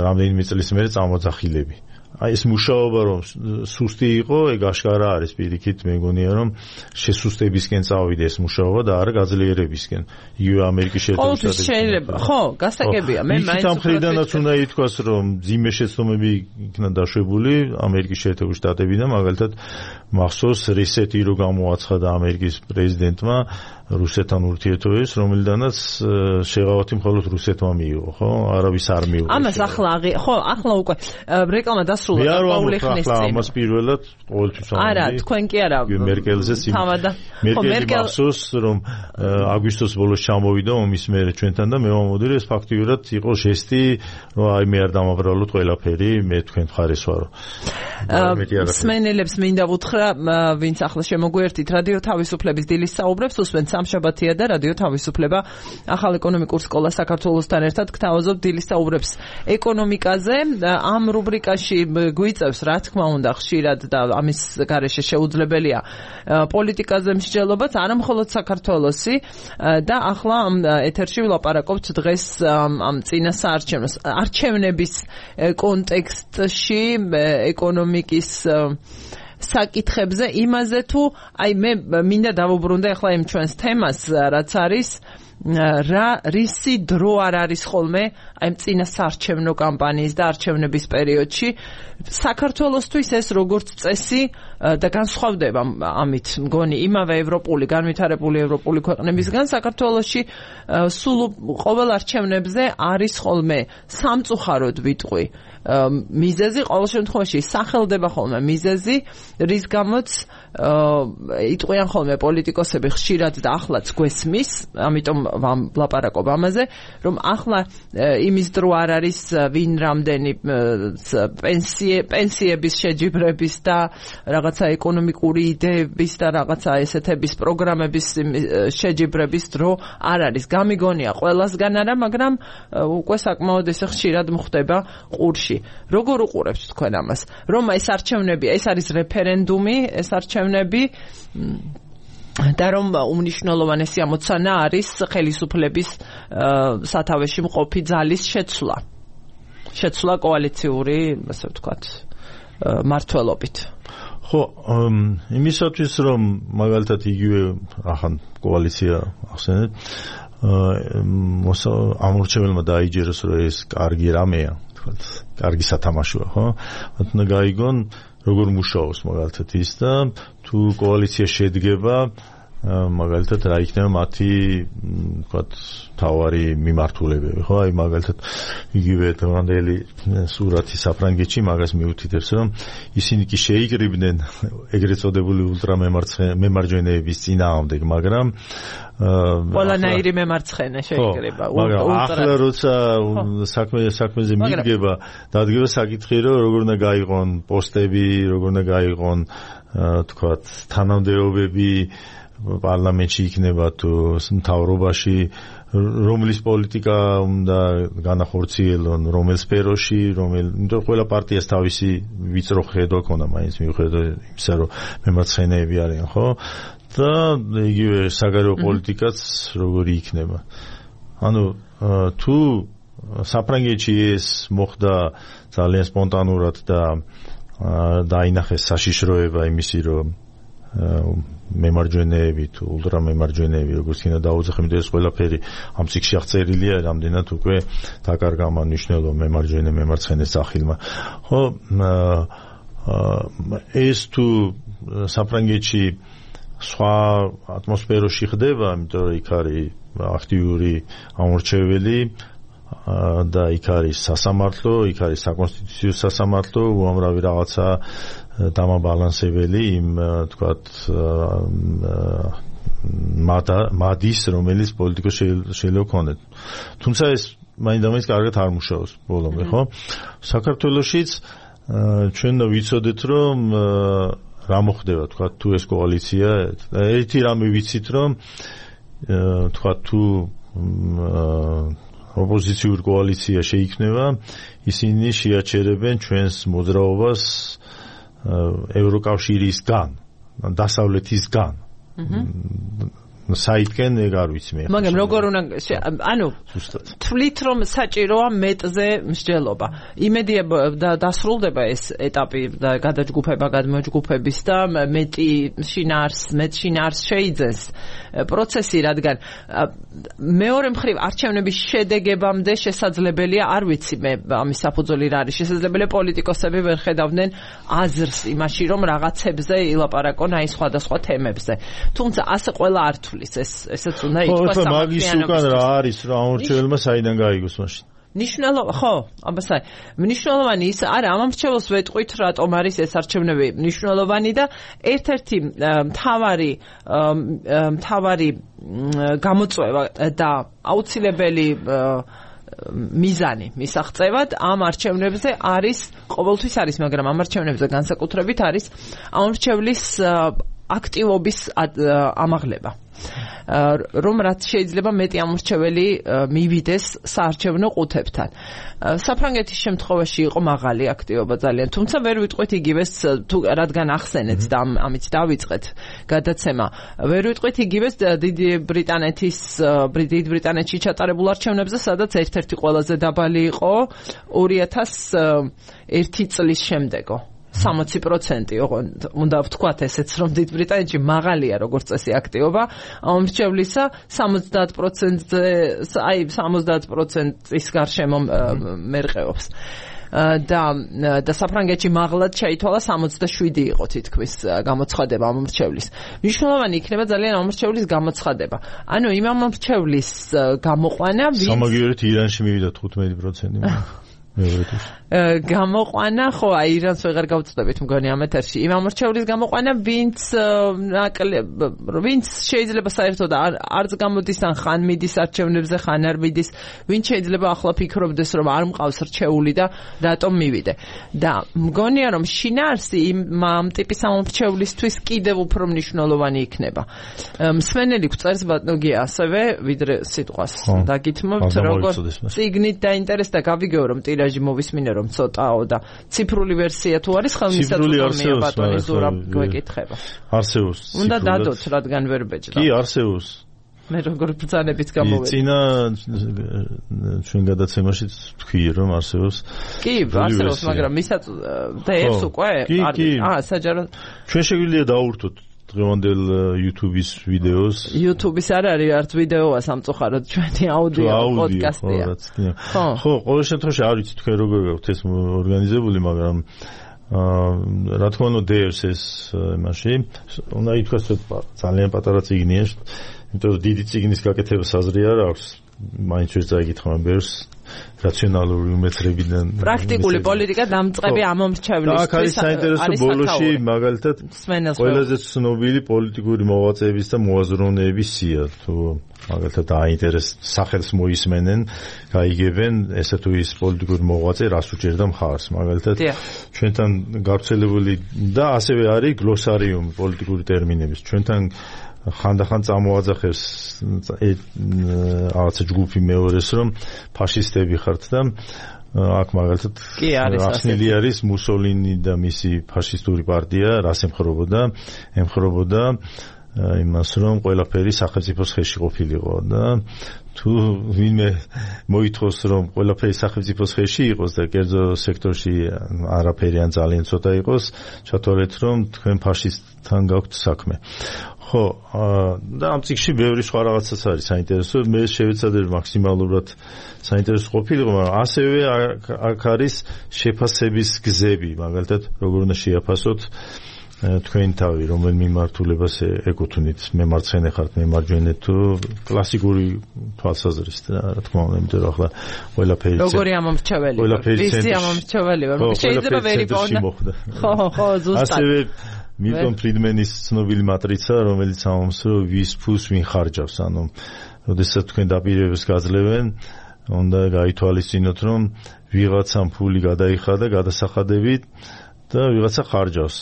რამდენიმე წლის მერე წამოძახილები. აი ეს მუშაობა რომ სუსტი იყო, ეგ აშკარა არის პირიქით, მე მგონია რომ შესუსტებისკენ წავიდა ეს მუშაობა და არა გაძლიერებისკენ. იგივე ამერიკის შეერთებული შტატებში. ყოველთვის შეიძლება, ხო, გასაგებია, მე მაინც ამ მხრიდანაც უნდა ითქვას, რომ ძიმე შეცდომები იქნა დაშვებული ამერიკის შეერთებული შტატებიდან, მაგალითად მახსოვს რესეტი რო გამოაცხადა ამერიკის პრეზიდენტმა რუსეთთან ურთიერთობებს, რომელიდანაც შეღავათი მხოლოდ რუსეთმა მიიღო, ხო? არავის არ მიიღო. ამას ახლა ხო, ახლა უკვე რეკლამა დასრულდა პაული ხნის წინ. ამას პირველად ყოველთვის ამბობდი. არა, თქვენ კი არა. მერკელზეც მერკელი მახსოვს, რომ აგვისტოს ბოლოს ჩამოვიდა ომის მერე ჩვენთან და მე ვამბობდი, რომ ეს ფაქტიურად იყო ჟესტი, რომ აი მე არ დამაბრალოთ ყველაფერი, მე თქვენ მხარეს ვარო. სმენელებს მინდა ვუთხრა, ვინც ახლა შემოგვერთით რადიო თავისუფლების დილის საუბრებს, უსმენთ სამშაბათია და რადიო თავისუფლება ახალ ეკონომიკურ სკოლა საქართველოსთან ერთად გთავაზობ დილის საუბრებს ეკონომიკაზე. ამ რუბრიკაში გვიწევს, რა თქმა უნდა, ხშირად და ამის გარეშე შეუძლებელია პოლიტიკაზე მსჯელობაც, არა მხოლოდ საქართველოსი და ახლა ეთერში ვლაპარაკობთ დღეს ამ წინა საარჩევნოს არჩევნების კონტექსტში ეკონომიკის საკითხებზე, იმაზე თუ აი მე მინდა დავუბრუნდე ახლა იმ ჩვენს თემას, რაც არის რა რისი დრო არ არის ხოლმე აი წინა საარჩევნო კამპანიის და არჩევნების პერიოდში საქართველოსთვის ეს როგორც წესი და განსხვავდება ამით მგონი იმავე ევროპული განვითარებული ევროპული ქვეყნებისგან საქართველოში სულ ყოველ არჩევნებზე არის ხოლმე სამწუხაროდ ვიტყვი მიზეზი ყოველ შემთხვევაში სახელდება ხოლმე მიზეზი რის გამოც იტყვიან ხოლმე პოლიტიკოსები ხშირად და ახლაც გვესმის ამიტომ ვლაპარაკობ ამაზე რომ ახლა იმის დრო არ არის ვინ რამდენი პენსიების შეჯიბრების და რაღაცა ეკონომიკური იდეების და რაღაცა ესეთების პროგრამების შეჯიბრების დრო არ არის გამიგონია ყველასგან არა მაგრამ უკვე საკმაოდ ესე ხშირად მხდება ყურში როგორ უყურებთ თქვენ ამას რომ ეს არჩევნები ეს არის რეფერენდუმი ეს არჩევნები და რომ უმნიშვნელოვანესი ამოცანა არის ხელისუფლების სათავეში მყოფი ძალის შეცვლა შეცვლა კოალიციური ასე ვთქვათ მართლობით ხო იმისათვის რომ მაგალითად იგივე ახან კოალიცია ახსენეთ ამორჩეველმა დაიჯეროს რომ ეს კარგი რამეა კარგი სათამაშოა ხო უნდა გაიგონ როგორ მუშაობს მაგალითად ის და თუ კოალიცია შედგება მაგალითად რა იქნება მათი ვთქვათ თავარი მიმართულებები ხო აი მაგალითად იგივე დღევანდელი სურათი საფრანგეთში მაგას მიუთითებს რომ ისინი კი შეიკრიბნენ ეგრეთ წოდებული ულტრამემარჯვენეების წინააღმდეგ მაგრამ ყველანაირი მემარცხენე შეიკრიბა ახლა როცა საქმე საქმეზე მიდგება დადგება საკითხი რომ როგორ უნდა გაიყონ პოსტები როგორ უნდა გაიყონ ვთქვათ თანამდებობები პარლამენტში იქნება თუ მთავრობაში რომლის პოლიტიკა უნდა განახორციელონ რომელ სფეროში რომელ იმიტომ ყველა პარტიას თავისი ვიწრო ხედვა ქონდა მაინც მიუხედავად იმისა რომ მემარცხენეები არიან ხო და იგივე საგარეო პოლიტიკაც როგორი იქნება ანუ თუ საფრანგეთში ეს მოხდა ძალიან სპონტანურად და დაინახეს საშიშროება იმისი რომ მემარჯვენეები თუ ულტრამემარჯვენეები როგორც იქნა დაუძახები და ეს ყველაფერი ამ წიგნში აღწერილია რამდენად უკვე დაკარგა ამ მნიშვნელობა მემარჯვენე მემარცხენე სახილმა ხო ეს თუ საფრანგეთში სხვა ატმოსფეროში ხდება იმიტომ რომ იქ არის აქტიური ამორჩეველი და იქ არის სასამართლო იქ არის საკონსტიტუციო სასამართლო უამრავი რაღაცა დამაბალანსებელი იმ თქვათ მადის რომელიც პოლიტიკოს შეიძლება ქონდეთ თუმცა ეს მაინდამაინც კარგად არ მუშაობს ბოლომდე ხო საქართველოშიც ჩვენ ვიცოდეთ რომ რა მოხდება თქვათ თუ ეს კოალიცია ერთი რამე ვიცით რომ თქვათ თუ ოპოზიციური კოალიცია შეიქმნება ისინი შეაჩერებენ ჩვენს მოძრაობას ევროკავშირისგან დასავლეთისგან საითკენ ეგ არ ვიცი მე მაგრამ როგორ უნდა ანუ თვლით რომ საჭიროა მეტზე მსჯელობა იმედია დასრულდება ეს ეტაპი და გადაჯგუფება გადმოჯგუფების და მეტი შინაარს მეტ შინაარს შეიძენს პროცესი რადგან მეორე მხრივ არჩევნების შედეგებამდე შესაძლებელია არ ვიცი მე ამის საფუძველი რა არის შესაძლებელია პოლიტიკოსები ვერ ხედავდნენ აზრს იმაში რომ რაღაცებზე ილაპარაკონ აი სხვადასხვა თემებზე თუმცა ასე ყველა არ ეს ესეც უნდა ითქვას მაგის უკან რა არის რა ამორჩეველმა საიდან გაიგოს მაშინ ნიშნულობა ხო აბასაი მნიშვნელოვანი ის არა ამ ამორჩეველს ვეტყვით რატომ არის ეს არჩევნები მნიშვნელოვანი და ერთ-ერთი მთავარი მთავარი გამოწვევა და აუცილებელი მიზანი მისაღწევად ამ არჩევნებზე არის ყოველთვის არის მაგრამ ამ არჩევნებზე განსაკუთრებით არის ამორჩევლის აქტივობის ამაღლება რომ რაც შეიძლება მეტი ამორჩეველი მივიდეს საარჩევნო ყუთებთან საფრანგეთის შემთხვევაში იყო მაღალი აქტივობა ძალიან თუმცა ვერ ვიტყვით იგივეს თუ რადგან ახსენეთ და ამით დავიწყეთ გადაცემა ვერ ვიტყვით იგივეს დიდი ბრიტანეთის დიდი ბრიტანეთში ჩატარებულ არჩევნებზე სადაც ერთ-ერთი ყველაზე დაბალი იყო ორი ათას ერთი წლის შემდეგო სამოცი პროცენტი, ოღონდ უნდა ვთქვათ ესეც, რომ დიდ ბრიტანეთში მაღალია როგორც წესი აქტივობა ამ მრჩევლისა, სამოცდაათ პროცენტზე, აი სამოცდაათ პროცენტის გარშემო მერყეობს. და და საფრანგეთში მაღლად შეითვალა სამოცდაშვიდი იყო თითქმის გამოცხადება ამ მრჩევლის. მნიშვნელოვანი იქნება ძალიან ამ მრჩევლის გამოცხადება. ანუ იმ ამ მრჩევლის გამოყვანა ვინც სამაგიერით ირანში მივიდა თხუთმეტი პროცენტი. გამოყვანა ხო აი ირანს ვეღარ გავწდებით მგონი ამ ეთერში იმ ამორჩევლის გამოყვანა ვინც ვინც შეიძლება საერთოდ არც გამოდის ან ხან მიდის არჩევნებზე ხან არ მიდის ვინც შეიძლება ახლა ფიქრობდეს რომ არ მყავს რჩეული და რატომ მივიდე და მგონია რომ შინაარსი იმ ამ ტიპის ამორჩევლისთვის კიდევ უფრო მნიშვნელოვანი იქნება მსმენელი გვწერს ბატონგია ასევე ვიდრე სიტყვას დაგითმობთ როგორ წიგნით დაინტერესდა გავიგეო რომ ტირაჟი მოვისმინე რომ ცოტაო და ციფრული ვერსია თუ არის ხელმისაწვდომია ბატონი ზურაბ გვეკითხება. არსებობს. უნდა დადოთ რადგან ვერ ბეჭდა. კი არსებობს. მე როგორ ბრძანებით გამოვედი. წინა ჩვენ გადაცემაში თქვი რომ არსებობს. კი, არსებობს, მაგრამ მისაწვდომია უკვე არის. აა, საჯაროდ ჩვენ შეგვიძლია დავურთოთ დღევანდელ YouTube-ის ვიდეოს. YouTube-ის არ არის არც ვიდეოა სამწუხაროდ ჩვენი აუდიო პოდკასტია. ხო, ყოველ შემთხვევაში არ ვიცი თქვენ როგორ გაქვთ ეს ორგანიზებული, მაგრამ აა რა თქმა უნდა დერს ეს იმაში. უნდა ითქვას რომ ძალიან პატარა წიგნია, იმიტომ რომ დიდი წიგნის გაკეთებას აზრი არ აქვს. მაინც ვერ წაიგითხმა ბერს რაციონალური უმეცრებიდან პრაქტიკული პოლიტიკა დამწყები ამომრჩევლისთვის. აქ არის საინტერესო ბოლოში მაგალითად ყველაზე ცნობილი პოლიტიკური მოღვაწეების და მოაზროვნეების სია თუ მაგალითად აინტერეს სახელს მოისმენენ, გაიგებენ ესე თუ ის პოლიტიკური მოღვაწე რას უჭერდა მხარს. მაგალითად ჩვენთან გავრცელებული და ასევე არის გლოსარიუმი პოლიტიკური ტერმინების. ჩვენთან ხანდახან წამოაძახებს რაღაცა ჯგუფი მეორეს რომ ფაშისტები ხართ და აქ მაგალითად ახსნილი არის მუსოლინი და მისი ფაშისტური პარტია რას ემხრობოდა ემხრობოდა იმას რომ ყველაფერი სახელმწიფოს ხელში ყოფილიყო და თუ ვინმე მოითხოვს რომ ყველაფერი სახელმწიფოს ხელში იყოს და კერძო სექტორში არაფერი ან ძალიან ცოტა იყოს ჩათვალეთ რომ თქვენ ფაშისტთან გაქვთ საქმე ხო და ამ წიგნში ბევრი სხვა რაღაცაც არის საინტერესო მე შევეცადე მაქსიმალურად საინტერესო ყოფილიყო მაგრამ ასევე აქ არის შეფასების გზები მაგალითად როგორ უნდა შეაფასოთ თქვენ თავი რომელ მიმართულებას ეკუთვნით მემარცხენე ხართ მემარჯვენე თუ კლასიკური თვალსაზრისით რა თქმა უნდა იმიტომ რომ ახლა ყველაფერი როგორი ამომრჩეველი ვისი ამომრჩეველი ვარ შეიძლება ვერ იპოვნა ხო ხო ზუსტად ასევე მილტონ ფრიდმენის ცნობილი მატრიცა რომელიც ამომს რომ ვის ფულს ვინ ხარჯავს ანუ როდესაც თქვენ დაპირებებს გაძლევენ უნდა გაითვალისწინოთ რომ ვიღაცამ ფული გადაიხადა გადასახადებით და ვიღაცა ხარჯავს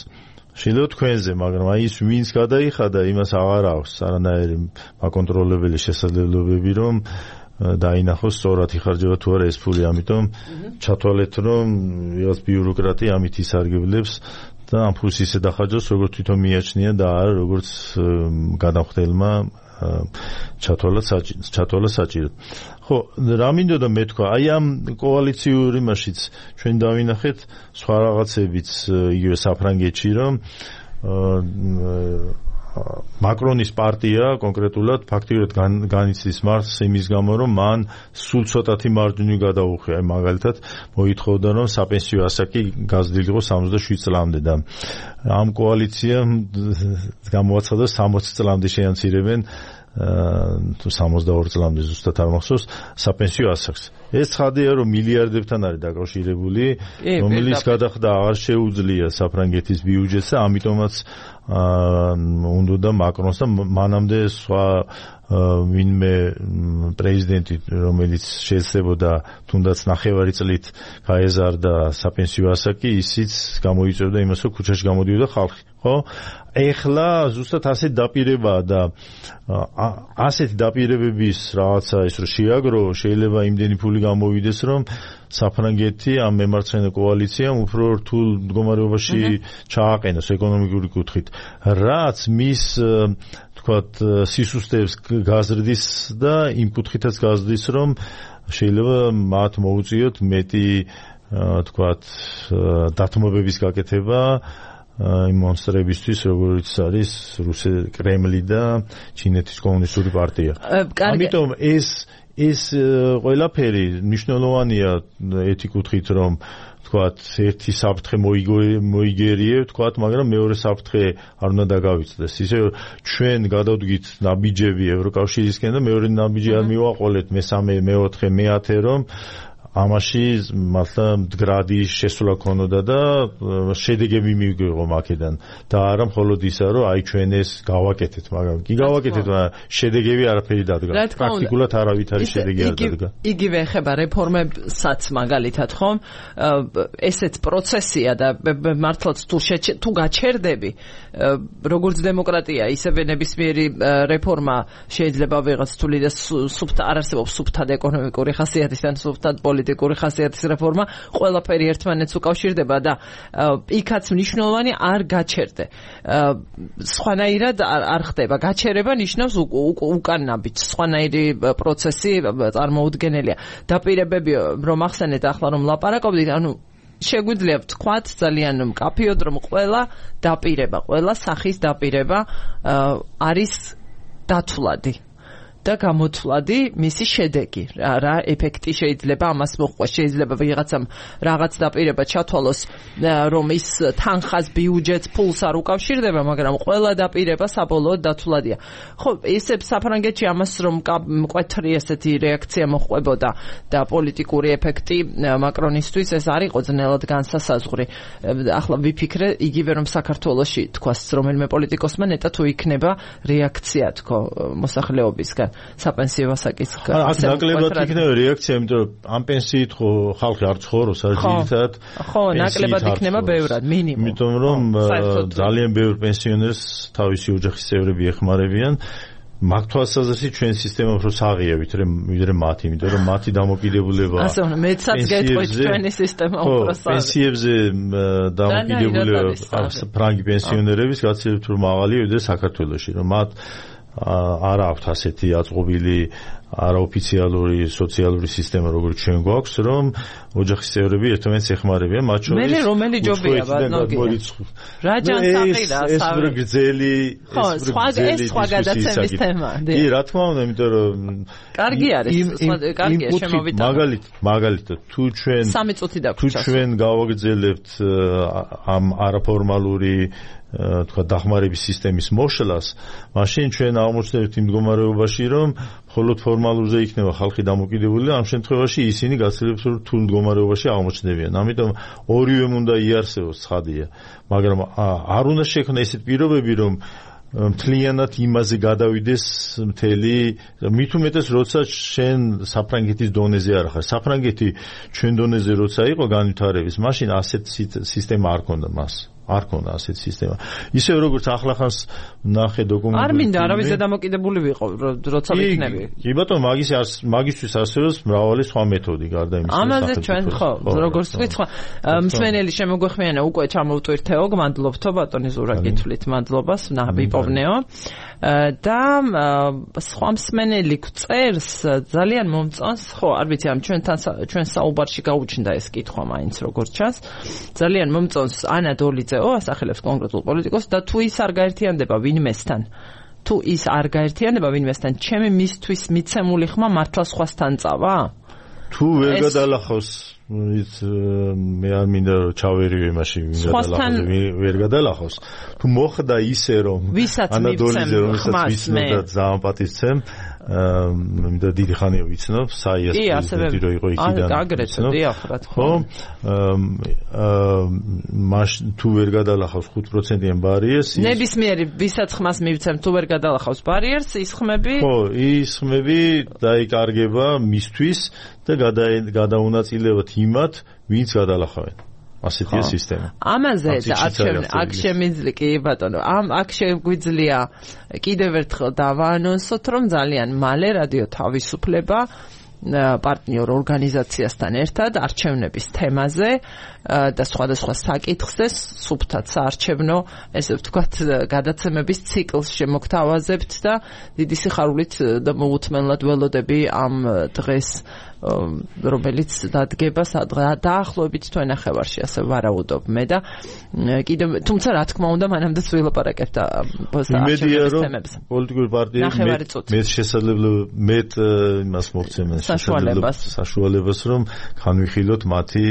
შეიძლება თქვენზე, მაგრამ აი ის ვინც გადაიხადა, იმას აღარ აქვს არანაირი მაკონტროლებელი შესაძლებლობები, რომ დაინახოს სწორად იხარჯება თუ არა ეს ფული, ამიტომ ჩათვალეთ, რომ ვიღაც ბიუროკრატი ამით ისარგებლებს და ამ ფულს ისე დახარჯავს, როგორც თვითონ მიაჩნია და არა როგორც გადამხდელმა ჩათვალა ჩათვალა საჭიროდ. ხო, რა მინდოდა მე თქვა, აი ამ კოალიციური მაშიც ჩვენ დავინახეთ სხვა რაღაცებიც იგივე საფრანგეთში, რომ მაკრონის პარტია კონკრეტულად ფაქტიურად განიცდის მარცხს იმის გამო, რომ მან სულ ცოტათი მარჯვნივ გადაუხია, მაგალითად მოითხოვდა, რომ საპენსიო ასაკი გაზრდილიყო სამოცდაშვიდ წლამდე და ამ კოალიციამ გამოაცხადა სამოცი წლამდე შეამცირებენ თუ სამოცდაორი წლამდე ზუსტად არ მახსოვს საპენსიო ასაკს. ეს ცხადია რომ მილიარდებთან არის დაკავშირებული, რომელიც გადახდა აღარ შეუძლია საფრანგეთის ბიუჯეტს და ამიტომაც უნდა მაკრონს და მანამდე სხვა ვინმე პრეზიდენტი რომელიც შეეცდებოდა თუნდაც ნახევარი წლით გაეზარდა საპენსიო ასაკი ისიც გამოიწვევდა იმას რომ ქუჩაში გამოდიოდა ხალხი ხო ეხლა ზუსტად ასეთ დაპირებაა და ასეთი დაპირებების რაღაცა ის რომ შეაგრო შეიძლება იმდენი ფული გამოვიდეს რომ საფრანგეთი ამ მემარცხენე კოალიციამ უფრო რთულ მდგომარეობაში ჩააყენოს ეკონომიკური კუთხით რაც მის თქვათ სისუსტეებს გაზრდის და იმ კუთხითაც გაზრდის რომ შეიძლება მათ მოუწიოთ მეტი თქვათ დათმობების გაკეთება იმ მონსტრებისთვის, როგორც არის რუსეთის კრემლი და ჩინეთის კომუნისტური პარტია. ამიტომ ეს ეს ყველაფერი მნიშვნელოვანია ერთი კუთხით, რომ თქვათ ერთი საფრთხე მოიგერიებ, თქვათ, მაგრამ მეორე საფრთხე არ უნდა დაგავიწყდეს. ისე ჩვენ გადავდგით ნაბიჯები ევროკავშირისკენ და მეორე ნაბიჯი არ მივაყოლეთ მესამე, მეოთხე, მეათე, რომ ამაში მართლა მდგრადი შესვლა ქონოდა და შედეგები მივიღო მაქედან და არა მხოლოდ ისა, რომ აი ჩვენ ეს გავაკეთეთ, მაგრამ კი გავაკეთეთ, მაგრამ შედეგები არაფერი დადგა. პრაქტიკულად არავითარი შედეგი არ დადგა. იგივე ეხება რეფორმებსაც მაგალითად, ხომ? ესეც პროცესია და მართლაც თუ თუ გაჩერდები, როგორც დემოკრატია, ისევე ნებისმიერი რეფორმა შეიძლება ვიღაც თული და სუფთა არ არსებობს სუფთად ეკონომიკური ხასიათის ან სუფთად პოლიტიკური ხასიათის რეფორმა, ყველაფერი ერთმანეთს უკავშირდება და იქაც მნიშვნელოვანი არ გაჩერდე. სხვანაირად არ ხდება. გაჩერება ნიშნავს უკან ნაბიჯს, სხვანაირი პროცესი წარმოუდგენელია. დაპირებები რომ ახსენეთ ახლა რომ ლაპარაკობდით, ანუ შეგვიძლია ვთქვათ ძალიან მკაფიოდ, რომ ყველა დაპირება, ყველა სახის დაპირება არის დათვლადი და გამოთვლადი მისი შედეგი, რა ეფექტი შეიძლება ამას მოხდეს. შეიძლება ვიღაცამ რაღაც დაპირება ჩათვალოს, რომ ის თანხას, ბიუჯეტს, ფულს არ უკავშირდება, მაგრამ ყველა დაპირება საბოლოოდ დათვლადია. ხო, ისე საფრანგეთში ამას რომ მკვეთრი ესეთი რეაქცია მოხდებოდა და პოლიტიკური ეფექტი მაკრონისთვის ეს არ იყო ძნელად განსასაზღვრი. ახლა ვიფიქრე იგივე რომ საქართველოში თქვას რომელიმე პოლიტიკოსმა ნეტა თუ იქნება რეაქცია თქო მოსახლეობისგან საპენსიო ასაკის აქ ნაკლებად იქნება რეაქცია, იმიტომ რომ ამ პენსიით ხო ხალხი არ ცხოვრობს, არ ძირითადად. ხო, ნაკლებად იქნება ბევრად, მინიმუმ. იმიტომ რომ ძალიან ბევრ პენსიონერს თავისი ოჯახის წევრები ეხმარებიან. მაგ თვალსაზრისით ჩვენ სისტემა უფრო საღია ვიდრე მათი, იმიტომ რომ მათი დამოკიდებულება ასე უნდა მეცაც გეტყვით ჩვენი სისტემა უფრო საღია. პენსიებზე დამოკიდებულება ფრანგი პენსიონერების გაცილებით უფრო მაღალია ვიდრე საქართველოში, რომ მათ არა აქვთ ასეთი აწყობილი არაოფიციალური სოციალური სისტემა, როგორც ჩვენ გვაქვს, რომ ოჯახის წევრები ერთმანეთს ეხმარებიან, მათ შორის მე რომელი ჯობია ბატონო. რა ჯანსაღია, ეს ეს გრძელი, ეს გრძელი სხვა გადაცემის თემა. კი, რა თქმა უნდა, იმიტომ რომ კარგი არის, კარგია შემოვიდა. მაგალითად, მაგალითად, თუ ჩვენ სამი წუთი თუ ჩვენ გავაგრძელებთ ამ არაფორმალური თქვა დახმარების სისტემის მოშლას, მაშინ ჩვენ აღმოჩნდებით იმ მდგომარეობაში, რომ მხოლოდ ფორმალურზე იქნება ხალხი დამოკიდებული და ამ შემთხვევაში ისინი გაცილებით რთულ მდგომარეობაში აღმოჩნდებიან. ამიტომ ორივე უნდა იარსებოს, ცხადია, მაგრამ არ უნდა შექმნას ესეთ პირობები, რომ მთლიანად იმაზე გადავიდეს მთელი, მით უმეტეს როცა შენ საფრანგეთის დონეზე არ ხარ. საფრანგეთი ჩვენ დონეზე როცა იყო განვითარების, მაშინ ასეთ სისტემა არ ქონდა მას. არ ქონდა ასეთ სისტემა. ისევ როგორც ახლახანს ნახე დოკუმენტებში. არ მინდა არავის დამოკიდებული ვიყო, როცა ვიქნები. კი ბატონო, მაგის მაგისთვის არსებობს მრავალი სხვა მეთოდი გარდა იმისა. ამაზე ჩვენ ხო, როგორც თქვით, სხვა მსმენელი შემოგვეხმიანა უკვე ჩამოვტვირთეო, გმადლობთო ბატონი ზურა კითხვით, მადლობას, ნაბიპოვნეო. და სხვა მსმენელი წერს ძალიან მომწონს, ხო, არ ვიცი, ამ ჩვენთან ჩვენ საუბარში გაუჩნდა ეს კითხვა მაინც როგორც ჩანს. ძალიან მომწონს ანა დოლიძეო, ასახელებს კონკრეტულ პოლიტიკოსს და თუ ის არ გაერთიანდება ვინმესთან, თუ ის არ გაერთიანდება ვინმესთან, ჩემი მისთვის მიცემული ხმა მართლა სხვასთან წავა? თუ ვერ გადალახავს ის მე არ მინდა რომ ჩავერივე მაშინ ვერ გადალახავს. თუ მოხდა ისე რომ ანა დოლიძე რომელსაც ვიცნობ და ძალიან პატივცემ, მინდა დიდი ხანია ვიცნობ, საიას პრეზიდენტი რო იყო იქიდან. აგრეთვე დიახ, რა თქმა უნდა. მაშინ თუ ვერ გადალახავს ხუთ პროცენტიან ბარიერს, ნებისმიერი ვისაც ხმას მივცემ, თუ ვერ გადალახავს ბარიერს, ის ხმები ხო, ის ხმები დაიკარგება მისთვის და გადაუნაწილებთ იმათ, ვინც გადალახავენ. ასეთია სისტემა. ამაზე და აქ შემიძლია კი ბატონო, ამ აქ შეგვიძლია კიდევ ერთხელ დავაანონსოთ, რომ ძალიან მალე რადიო თავისუფლება პარტნიორ ორგანიზაციასთან ერთად არჩევნების თემაზე და სხვადასხვა საკითხზე სუფთად საარჩევნო, ესე ვთქვათ, გადაცემების ციკლს შემოგთავაზებთ და დიდი სიხარულით და მოუთმენლად ველოდები ამ დღეს რომელიც დადგება დაახლოებით თვენახევარში, ასე ვარაუდობ მე და კიდევ თუმცა რა თქმა უნდა მანამდე ვილაპარაკებთ იმედია რომ პოლიტიკური პარტიები მე შესაძლებლობა მე იმას მოგცემენ საშუალებას რომ განვიხილოთ მათი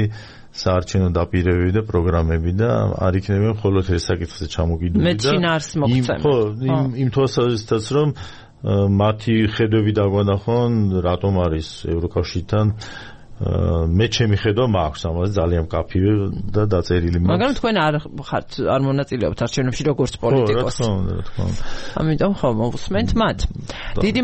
საარჩევნო დაპირებები და პროგრამები და არ იქნება მხოლოდ ეს საკითხზე ჩამოგიდული და მე ჩინარს მოგცემენ ხო იმ იმ თვალსაზრისითაც რომ მათი ხედვები დაგვანახონ რატომ არის ევროკავშირთან მე ჩემი ხედვა მაქვს ამაზე ძალიან კაფივე და დაწერილი მაქვს მაგრამ თქვენ არ ხართ არ მონაწილეობთ არჩევნებში როგორც პოლიტიკოსი ხო რა თქმა უნდა ამიტომ ხო მოვუსმენთ მათ დიდი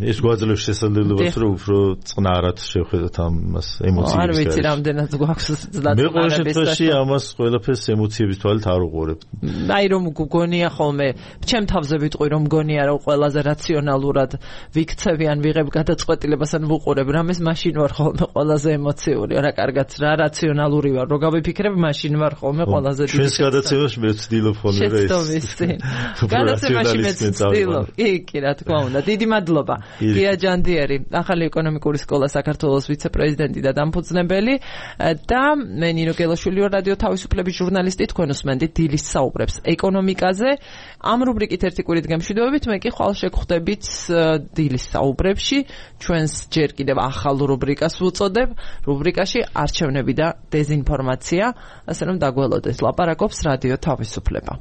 ეს გვაძლევს შესაძლებლობას რომ უფრო წყნარად შევხედოთ ამას ემოციების არ ვიცი რამდენად გვაქვს ზდა მე ყოველ შემთხვევაში ამას ყველაფერს ემოციების თვალით არ უყურებ აი რომ გგონია ხოლმე ჩემ თავზე ვიტყვი რომ მგონია რომ ყველაზე რაციონალურად ვიქცევი ან ვიღებ გადაწყვეტილებას ან ვუყურებ რამეს მაშინ ვარ ხოლმე ყველა ყველაზე ემოციური, რა კარგად რა რაციონალური ვარ, რო გავიფიქრებ, მაშინ ვარ ხოლმე ყველაზე დიდი. ჩვენს გადაცემაში მე ვცდილობ ხოლმე რა ეს. გადაცემაში მე ვცდილობ. კი, კი, რა თქმა უნდა. დიდი მადლობა. გია ჯანდიერი, ახალი ეკონომიკური სკოლა საქართველოს ვიცე-პრეზიდენტი და დამფუძნებელი და მე ნინო გელაშვილი ვარ, რადიო თავისუფლების ჟურნალისტი, თქვენ უსმენთ დილის საუბრებს ეკონომიკაზე. ამ რუბრიკით ერთი კვირით გემშვიდობებით, მე კი ხვალ შეგხვდებით დილის საუბრებში, ჩვენს ჯერ კიდევ ახალ რუბრიკას ვუწოდებ. რუბრიკაში არჩევნები და დეზინფორმაცია, ასე რომ დაგველოდეთ, ლაპარაკობს რადიო თავისუფლება.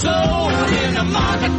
Sold in the market.